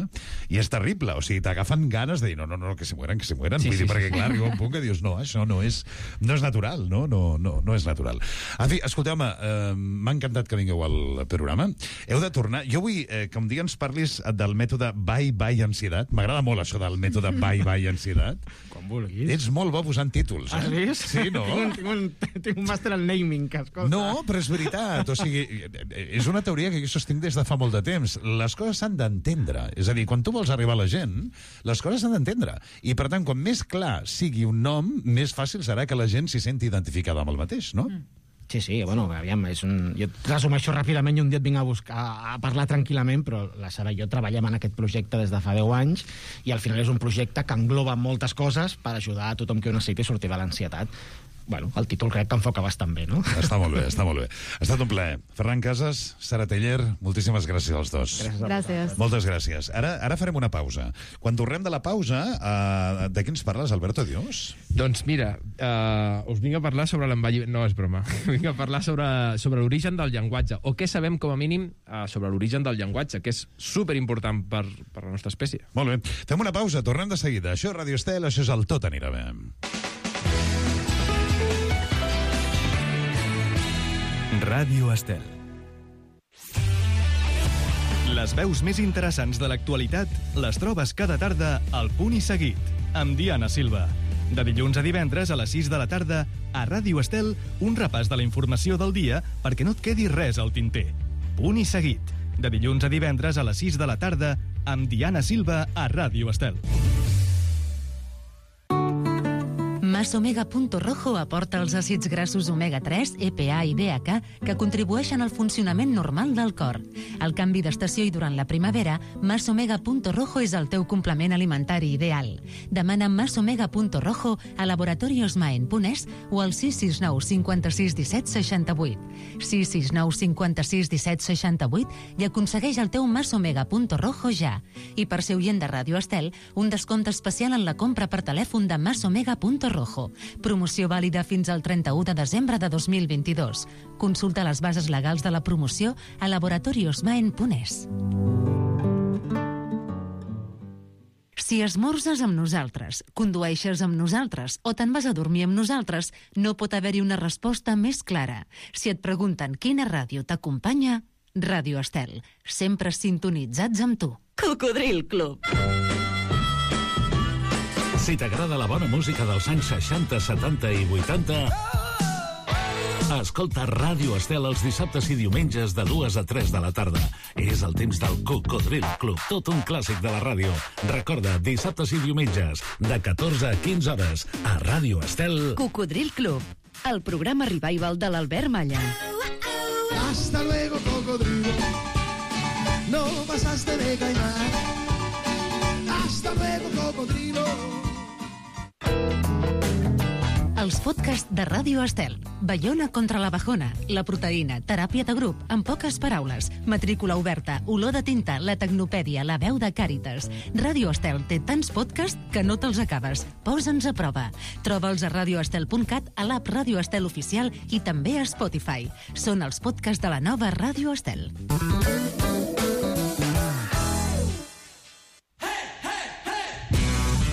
I és terrible, o sigui, t'agafen ganes de dir no, no, no, que se mueren, que se mueren. Sí, Vull sí, dir, perquè, sí. clar, arriba un punt que dius no, això no és, no és natural, no? No, no, no és natural. En fi, escolteu-me, eh, m'ha encantat que vingueu al programa. Heu de tornar... Jo vull eh, que un dia ens parlis del mètode bye-bye ansietat. M'agrada molt això del mètode bye-bye ansietat. Com vulguis. Ets molt bo posant títols, eh? Has vist? Sí, no? tinc, un, tinc, un, tinc un màster en naming, que escolta... No, però és veritat. O sigui, és una teoria que jo sostinc des de fa molt de temps. Les coses s'han d'entendre. És a dir, quan tu vols arribar a la gent, les coses s'han d'entendre. I, per tant, quan més clar sigui un nom, més fàcil serà que la gent s'hi senti identificada amb el mateix, no? Mm. Sí, sí, bueno, aviam, és un... jo resumeixo ràpidament i un dia et vinc a, buscar, a parlar tranquil·lament, però la Sara i jo treballem en aquest projecte des de fa deu anys i al final és un projecte que engloba moltes coses per ajudar a tothom que ho necessiti a sortir de l'ansietat. Bueno, el títol crec que enfoca bastant bé, no? Està molt bé, està molt bé. Ha estat un plaer. Ferran Casas, Sara Taller, moltíssimes gràcies als dos. Gràcies. Gràcies. Moltes gràcies. Ara, ara farem una pausa. Quan tornem de la pausa, uh, de què ens parles, Alberto Dios? Doncs mira, uh, us vinc a parlar sobre l'envelliment... No, és broma. Vinc a parlar sobre, sobre l'origen del llenguatge, o què sabem, com a mínim, uh, sobre l'origen del llenguatge, que és superimportant per, per la nostra espècie. Molt bé. Fem una pausa, tornem de seguida. Això és Radio Estel, això és el Tot anirà bé. Ràdio Estel. Les veus més interessants de l'actualitat les trobes cada tarda al Punt i Seguit, amb Diana Silva. De dilluns a divendres a les sis de la tarda, a Ràdio Estel, un repàs de la informació del dia perquè no et quedi res al tinter. Punt i Seguit, de dilluns a divendres a les sis de la tarda, amb Diana Silva a Ràdio Estel. Masomega.rojo aporta els àcids grassos omega tres, E P A i D H A que contribueixen al funcionament normal del cor. Al canvi d'estació i durant la primavera, Masomega.rojo és el teu complement alimentari ideal. Demana Masomega.rojo a Laboratorios Maen Punès o al sis sis nou cinquanta-sis disset seixanta-vuit. sis sis nou cinquanta-sis disset seixanta-vuit i aconsegueix el teu Masomega.rojo ja. I per ser oient de Ràdio Estel, un descompte especial en la compra per telèfon de Masomega.rojo. Promoció vàlida fins al trenta-u de desembre de dos mil vint-i-dos. Consulta les bases legals de la promoció a Laboratorios Maen Punès. Si esmorzes amb nosaltres, condueixes amb nosaltres o te'n vas a dormir amb nosaltres, no pot haver-hi una resposta més clara. Si et pregunten quina ràdio t'acompanya, Ràdio Estel, sempre sintonitzats amb tu. Cocodril Club. Si t'agrada la bona música dels anys seixanta, setanta i vuitanta, escolta Ràdio Estel els dissabtes i diumenges de dues a tres de la tarda. És el temps del Cocodril Club, tot un clàssic de la ràdio. Recorda, dissabtes i diumenges, de catorze a quinze hores, a Ràdio Estel. Cocodril Club, el programa revival de l'Albert Malla. Hasta luego, cocodrilo. No pasaste de caimán. Hasta luego, cocodrilo. Els podcasts de Ràdio Estel. Baiona contra la bajona, la proteïna, teràpia de grup, en poques paraules, matrícula oberta, olor de tinta, la tecnopèdia, la veu de Càritas. Ràdio Estel té tants podcasts que no te'ls acabes. Posa'ns a prova. Troba'ls a radioestel punt cat, a l'app Ràdio Estel oficial i també a Spotify. Són els podcasts de la nova Ràdio Estel.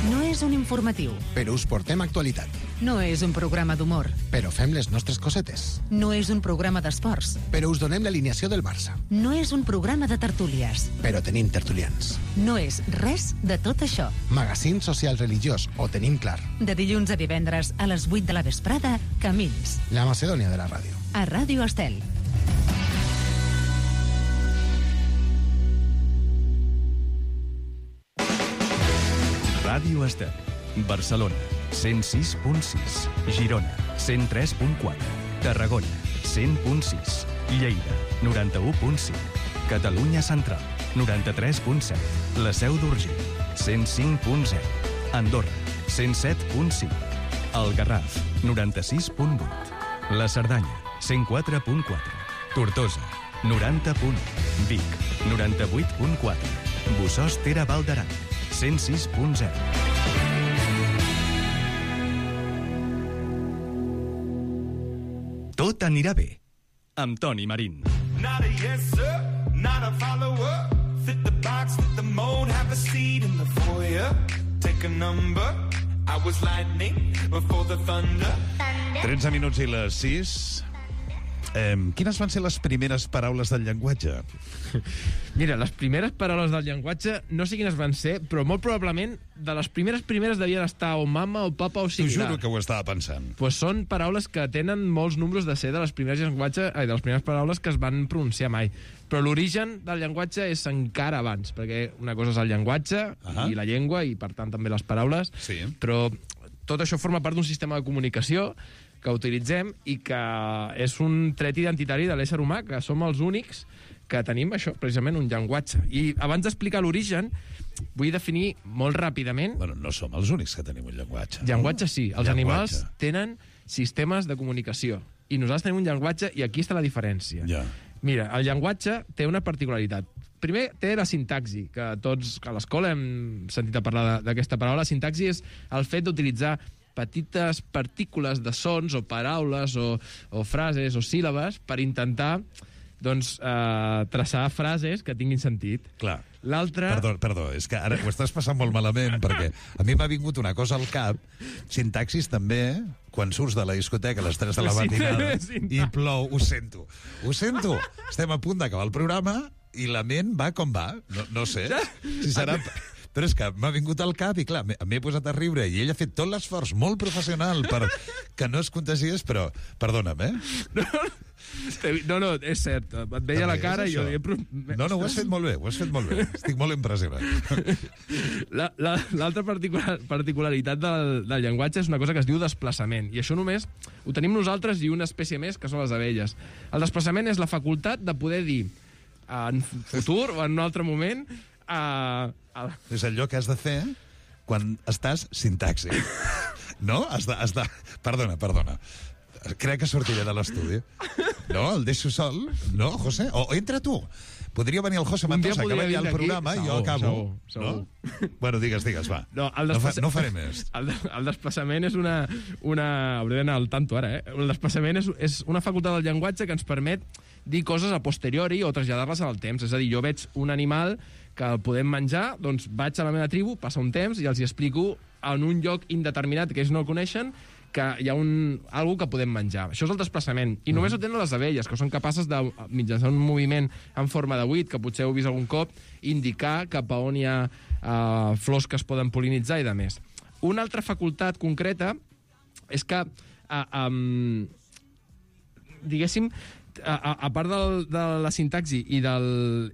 No és un informatiu. Però us portem actualitat. No és un programa d'humor. Però fem les nostres cosetes. No és un programa d'esports. Però us donem l'alineació del Barça. No és un programa de tertúlies. Però tenim tertulians. No és res de tot això. Magazín social religiós, ho tenim clar. De dilluns a divendres a les vuit de la vesprada, Camins. La Macedònia de la ràdio. A Ràdio Estel. Ràdio Estel, Barcelona, cent sis punt sis, Girona, cent tres punt quatre, Tarragona, cent punt sis, Lleida, noranta-u punt cinc, Catalunya Central, noranta-tres punt set, La Seu d'Urgell, cent cinc punt zero, Andorra, cent set punt cinc, El Garraf, noranta-sis punt vuit, La Cerdanya, cent quatre punt quatre, Tortosa, noranta punt u, Vic, noranta-vuit punt quatre, Bossòst Tere Val d'Aran, cent sis punt zero. Tot anirà bé, amb Toni Marín. Not a yes, sir, not a follower. Fit the box, fit the mold, have a seat in the foyer. Take a number, I was lightning before the thunder. tretze minuts i les sis. Eh, quines van ser les primeres paraules del llenguatge? Mira, les primeres paraules del llenguatge no sé quines van ser, però molt probablement de les primeres primeres devien estar o mama o papa o T'ho similar. juro que ho estava pensant. Pues són paraules que tenen molts números de ser de les primeres llenguatge, ai, de les primeres paraules que es van pronunciar mai. Però l'origen del llenguatge és encara abans, perquè una cosa és el llenguatge uh-huh. i la llengua, i per tant també les paraules, sí. Però tot això forma part d'un sistema de comunicació que utilitzem i que és un tret identitari de l'ésser humà, que som els únics que tenim això, precisament un llenguatge. I abans d'explicar l'origen, vull definir molt ràpidament... Bueno, no som els únics que tenim un llenguatge. Llenguatge sí, els llenguatge. Animals tenen sistemes de comunicació i nosaltres tenim un llenguatge i aquí està la diferència. Ja. Mira, el llenguatge té una particularitat. Primer, té la sintaxi, que tots a l'escola hem sentit a parlar d'aquesta paraula. La sintaxi és el fet d'utilitzar petites partícules de sons o paraules o, o frases o síl·labes per intentar doncs, eh, traçar frases que tinguin sentit. Clar. L'altre... Perdó, perdó, és que ara ho estàs passant molt malament, perquè a mi m'ha vingut una cosa al cap, sintaxis també, quan surts de la discoteca a les tres de la matinada i plou, ho sento, ho sento, estem a punt d'acabar el programa i la ment va com va, no, no sé, si serà... Però és que m'ha vingut al cap i, clar, m'he posat a riure i ell ha fet tot l'esforç molt professional per que no es contagiés, però, perdona'm, eh? No, no, és cert. Et veia la cara i jo... No, no, ho has fet molt bé, ho has fet molt bé. Estic molt impressionat. L'altra la, particular, particularitat del, del llenguatge és una cosa que es diu desplaçament. I això només ho tenim nosaltres i una espècie més, que són les abelles. El desplaçament és la facultat de poder dir en futur o en un altre moment... A, a... És allò que has de fer quan estàs sintaxi. No? Has de, has de... Perdona, perdona. Crec que sortiré de l'estudi. No, el deixo sol. No, José? O, o entra tu. Podria venir el José Mendoza, que va allà al programa i jo acabo. Segur, segur. No? Bueno, digues, digues, va. No, el desplaça... no, fa, no faré més. El, el desplaçament és una... una... Hauré d'anar al tanto ara, eh? El desplaçament és, és una facultat del llenguatge que ens permet dir coses a posteriori o traslladar-les al temps. És a dir, jo veig un animal que el podem menjar, doncs vaig a la meva tribu, passa un temps i els hi explico en un lloc indeterminat que ells no el coneixen que hi ha un, algo que podem menjar. Això és el desplaçament. I només ho tenen les abelles, que són capaces de, mitjançant un moviment en forma de buit, que potser heu vist algun cop, indicar cap a on hi ha uh, flors que es poden pol·linitzar i de més. Una altra facultat concreta és que, uh, um, diguéssim, a, a, a part del, de la sintaxi i del,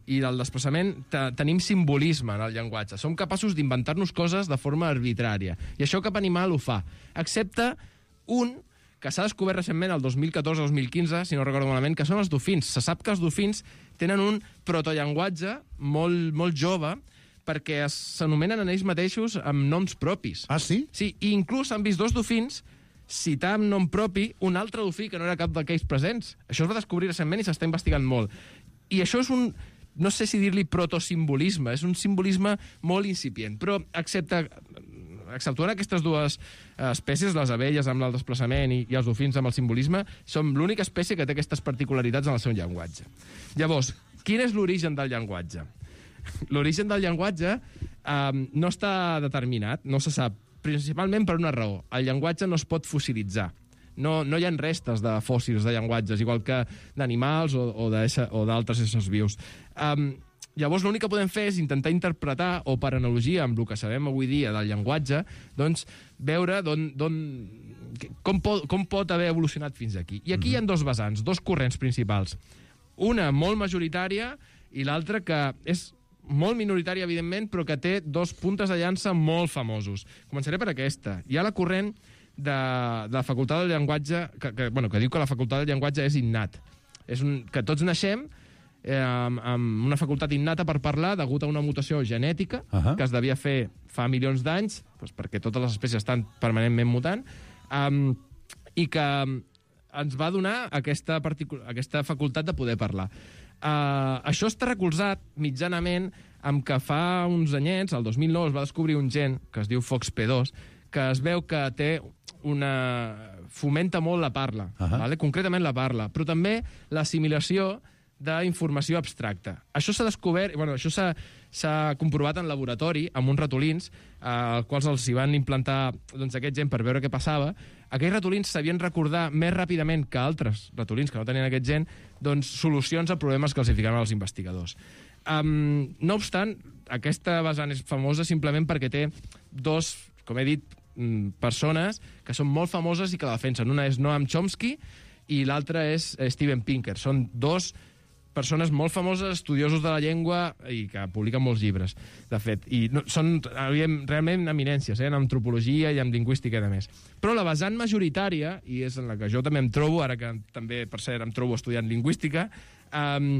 i del desplaçament, te, tenim simbolisme en el llenguatge. Som capaços d'inventar-nos coses de forma arbitrària. I això cap animal ho fa. Excepte un que s'ha descobert recentment el dos mil catorze dos mil quinze, si no recordo malament, que són els dofins. Se sap que els dofins tenen un protollenguatge molt, molt jove perquè s'anomenen en ells mateixos amb noms propis. Ah, sí? Sí, i inclús han vist dos dofins citar amb nom propi un altre dofí que no era cap d'aquells presents. Això es va descobrir recentment i s'està investigant molt. I això és un, no sé si dir-li protosimbolisme, és un simbolisme molt incipient, però excepte, exceptuant aquestes dues espècies, les abelles amb el desplaçament i, i els dofins amb el simbolisme, som l'única espècie que té aquestes particularitats en el seu llenguatge. Llavors, quin és l'origen del llenguatge? L'origen del llenguatge eh, no està determinat, no se sap, principalment per una raó. El llenguatge no es pot fossilitzar. No, no hi ha restes de fòssils de llenguatges, igual que d'animals o, o d'altres éssers vius. Um, llavors, l'únic que podem fer és intentar interpretar, o per analogia amb el que sabem avui dia del llenguatge, doncs veure d'on, d'on, com, pot, com pot haver evolucionat fins aquí. I aquí mm-hmm. hi ha dos vessants, dos corrents principals. Una molt majoritària i l'altra que és molt minoritària, evidentment, però que té dos puntes de llança molt famosos. Començaré per aquesta. Hi ha la corrent de, de la facultat del llenguatge, que, que, bueno, que diu que la facultat del llenguatge és innat. És un, que tots naixem eh, amb, amb una facultat innata per parlar degut a una mutació genètica uh-huh. que es devia fer fa milions d'anys, doncs perquè totes les espècies estan permanentment mutant, um, i que ens va donar aquesta, aquesta facultat de poder parlar. Uh, això està recolzat mitjanament amb que fa uns anyets, el dos mil nou, es va descobrir un gen que es diu F O X P dos, que es veu que té una... fomenta molt la parla, uh-huh. vale? Concretament la parla, però també l'assimilació d'informació abstracta. Això s'ha descobert, bueno, això s'ha comprovat en laboratori amb uns ratolins, eh, als quals els hi van implantar doncs, aquest gen per veure què passava. Aquells ratolins sabien recordar més ràpidament que altres ratolins que no tenien aquest gen doncs, solucions a problemes que els hi ficaven els investigadors. Um, no obstant, aquesta vessant és famosa simplement perquè té dos, com he dit, persones que són molt famoses i que la defensen. Una és Noam Chomsky i l'altra és Steven Pinker. Són dos persones molt famoses, estudiosos de la llengua i que publiquen molts llibres, de fet. I no, són realment eminències, eh, en antropologia i en lingüística i de més. Però la vessant majoritària, i és en la que jo també em trobo, ara que també, per cert, em trobo estudiant lingüística, um,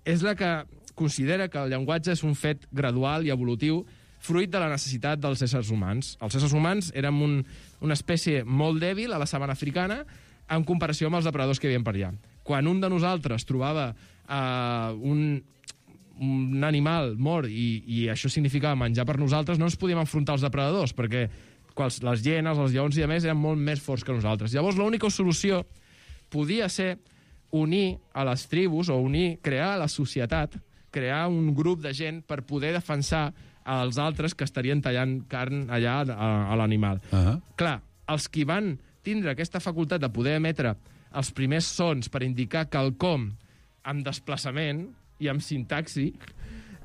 és la que considera que el llenguatge és un fet gradual i evolutiu fruit de la necessitat dels éssers humans. Els éssers humans érem un, una espècie molt dèbil a la sabana africana en comparació amb els depredadors que hi havia per allà. Quan un de nosaltres trobava uh, un, un animal mort i, i això significava menjar per nosaltres, no ens podíem enfrontar als depredadors, perquè quals, les hienes, els lleons i a més eren molt més forts que nosaltres. Llavors l'única solució podia ser unir a les tribus o unir, crear la societat, crear un grup de gent per poder defensar als altres que estarien tallant carn allà a, a l'animal. Uh-huh. Clar, els que van tindre aquesta facultat de poder emetre els primers sons per indicar quelcom amb desplaçament i amb sintaxi,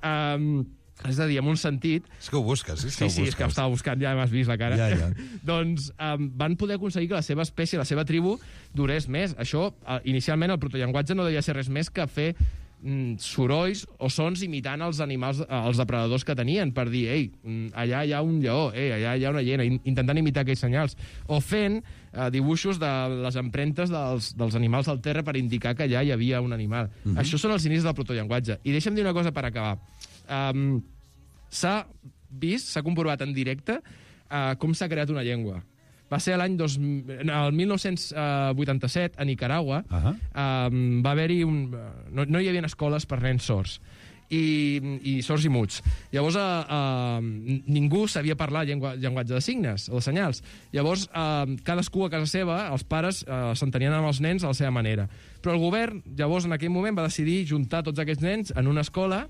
um, És a dir, en un sentit... És que ho busques, sí? Sí, sí, és que ho estava buscant, ja m'has vist la cara. Ja, ja. Doncs um, van poder aconseguir que la seva espècie, la seva tribu, durés més. Això, uh, inicialment, el protollenguatge no devia ser res més que fer mm, sorolls o sons imitant els animals, uh, els depredadors que tenien, per dir, ei, allà hi ha un lleó, ei, allà hi ha una hiena, intentant imitar aquells senyals. O fent uh, dibuixos de les empremtes dels, dels animals al terra per indicar que allà hi havia un animal. Mm-hmm. Això són els inicis del protollenguatge. I deixa'm dir una cosa per acabar. Um, s'ha vist, s'ha comprovat en directe uh, com s'ha creat una llengua. Va ser l'any el mil nou-cents vuitanta-set, a Nicaragua, uh -huh. um, va haver-hi un... No, no hi havia escoles per nens sords. I, i sords i muts. Llavors, uh, uh, ningú sabia parlar llengua, llenguatge de signes, o de senyals. Llavors, uh, cadascú a casa seva, els pares uh, s'entenien amb els nens a la seva manera. Però el govern, llavors, en aquell moment, va decidir juntar tots aquests nens en una escola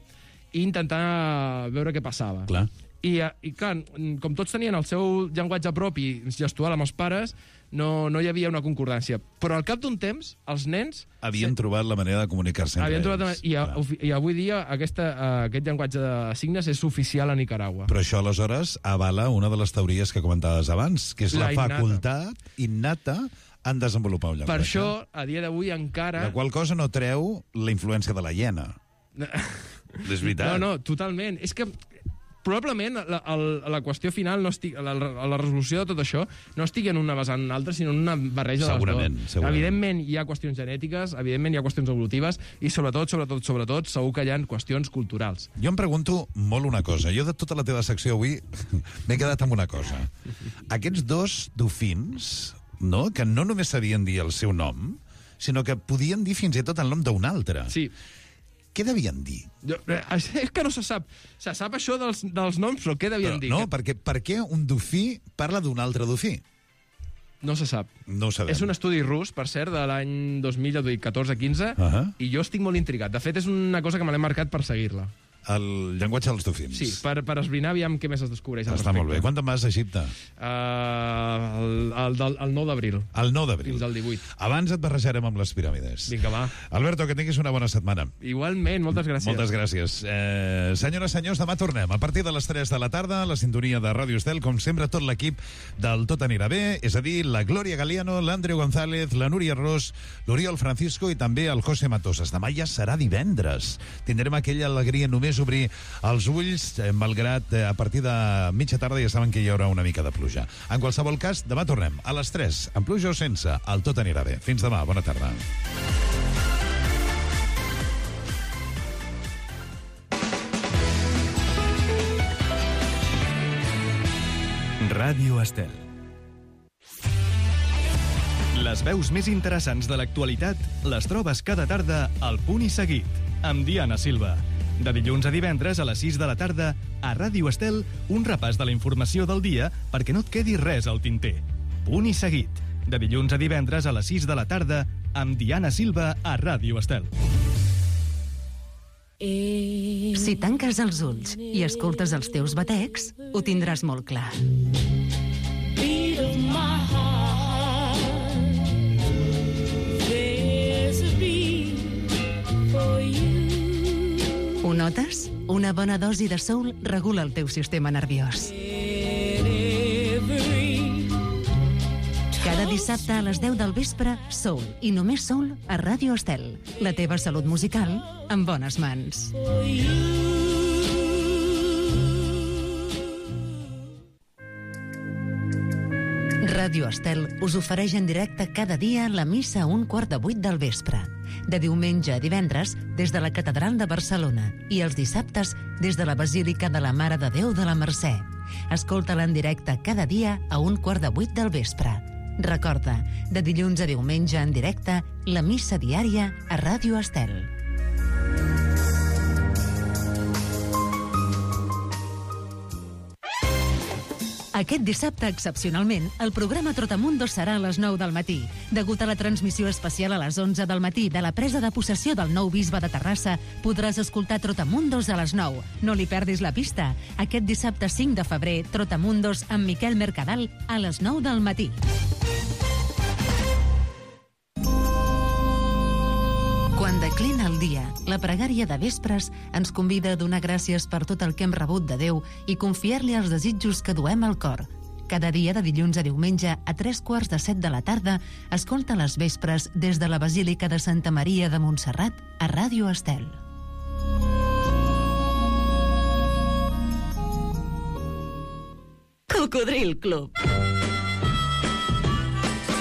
i intentar veure què passava. Clar. I, I, clar, com tots tenien el seu llenguatge propi gestual amb els pares, no, no hi havia una concordància. Però al cap d'un temps, els nens... Havien sí, trobat la manera de comunicar-se entre havien ells. Trobat, i, a, I avui dia aquesta, uh, aquest llenguatge de signes és oficial a Nicaragua. Però això, aleshores, avala una de les teories que comentaves abans, que és la, la facultat innata en desenvolupar un llenguatge. Per això, a dia d'avui encara... La qual cosa no treu la influència de la hiena. És veritat. No, no, totalment. És que probablement la, la, la qüestió final, no estic, la, la resolució de tot això, no estigui en una vessant en una altra, sinó en una barreja segurament, de les dues. Segurament. Evidentment hi ha qüestions genètiques, evidentment hi ha qüestions evolutives, i sobretot, sobretot, sobretot, segur que hi ha qüestions culturals. Jo em pregunto molt una cosa. Jo de tota la teva secció avui m'he quedat amb una cosa. Aquests dos dofins, no?, que no només sabien dir el seu nom, sinó que podien dir fins i tot el nom d'un altre. Sí. Què devien dir? Jo, és que no se sap. Se sap això dels, dels noms, però què devien però, dir? No, perquè per què un dofí parla d'un altre dofí? No se sap. No ho sabem. És un estudi rus, per cert, de l'any dos mil catorze quinze, uh -huh. i jo estic molt intrigat. De fet, és una cosa que me l'he marcat per seguir-la. El llenguatge dels dofins. Sí, per, per esbrinar, aviam què més es descobreix al Està respecte. molt bé. Quan te'n vas a Egipte? Uh, el, el, el, el nou d'abril. El nou d'abril. Fins al divuit. Abans et barrejarem amb les piràmides. Vinga, va. Alberto, que tinguis una bona setmana. Igualment, moltes gràcies. Moltes gràcies. Eh, senyores, senyors, demà tornem. A partir de les tres de la tarda, a la sintonia de Ràdio Estel, com sempre, tot l'equip del Tot anirà bé, és a dir, la Glòria Galiano, l'Andreu González, la Núria Ros, l'Oriol Francisco i també el José Matosas. Demà ja serà divendres. Tindrem aquella alegria només obrir els ulls, eh, malgrat eh, a partir de mitja tarda ja saben que hi haurà una mica de pluja. En qualsevol cas, demà tornem a les tres, amb pluja o sense, el Tot anirà bé. Fins demà, bona tarda. Ràdio Estel. Les veus més interessants de l'actualitat les trobes cada tarda al Punt i Seguit, amb Diana Silva. De dilluns a divendres a les sis de la tarda, a Ràdio Estel, un repàs de la informació del dia perquè no et quedi res al tinter. Punt i Seguit. De dilluns a divendres a les sis de la tarda, amb Diana Silva a Ràdio Estel. Si tanques els ulls i escoltes els teus batecs, ho tindràs molt clar. Ho notes? Una bona dosi de soul regula el teu sistema nerviós. Cada dissabte a les deu del vespre, soul i només soul a Ràdio Estel. La teva salut musical en bones mans. Ràdio Estel us ofereix en directe cada dia la missa a un quart de vuit del vespre. De diumenge a divendres des de la Catedral de Barcelona i els dissabtes des de la Basílica de la Mare de Déu de la Mercè. Escolta-la en directe cada dia a un quart de vuit del vespre. Recorda, de dilluns a diumenge en directe, la missa diària a Ràdio Estel. Aquest dissabte, excepcionalment, el programa Trotamundos serà a les nou del matí. Degut a la transmissió especial a les onze del matí de la presa de possessió del nou bisbe de Terrassa, podràs escoltar Trotamundos a les nou. No li perdis la pista. Aquest dissabte cinc de febrer, Trotamundos amb Miquel Mercadal a les nou del matí. Quan de Reclina el dia. La pregària de vespres ens convida a donar gràcies per tot el que hem rebut de Déu i confiar-li els desitjos que duem al cor. Cada dia de dilluns a diumenge a tres quarts de set de la tarda escolta les vespres des de la Basílica de Santa Maria de Montserrat a Ràdio Estel. Cocodril Club.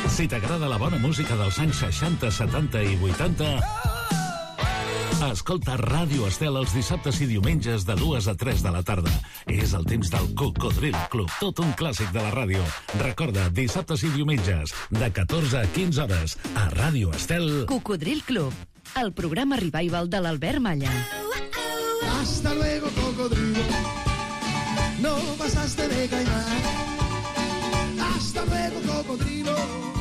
Si t'agrada la bona música dels anys seixanta, setanta i vuitanta, escolta Ràdio Estel els dissabtes i diumenges de dues a tres de la tarda. És el temps del Cocodril Club, tot un clàssic de la ràdio. Recorda, dissabtes i diumenges, de catorze a quinze hores, a Ràdio Estel. Cocodril Club, el programa revival de l'Albert Malla. Hasta luego, cocodrilo. No pasaste de caimán. Hasta luego, cocodrilo.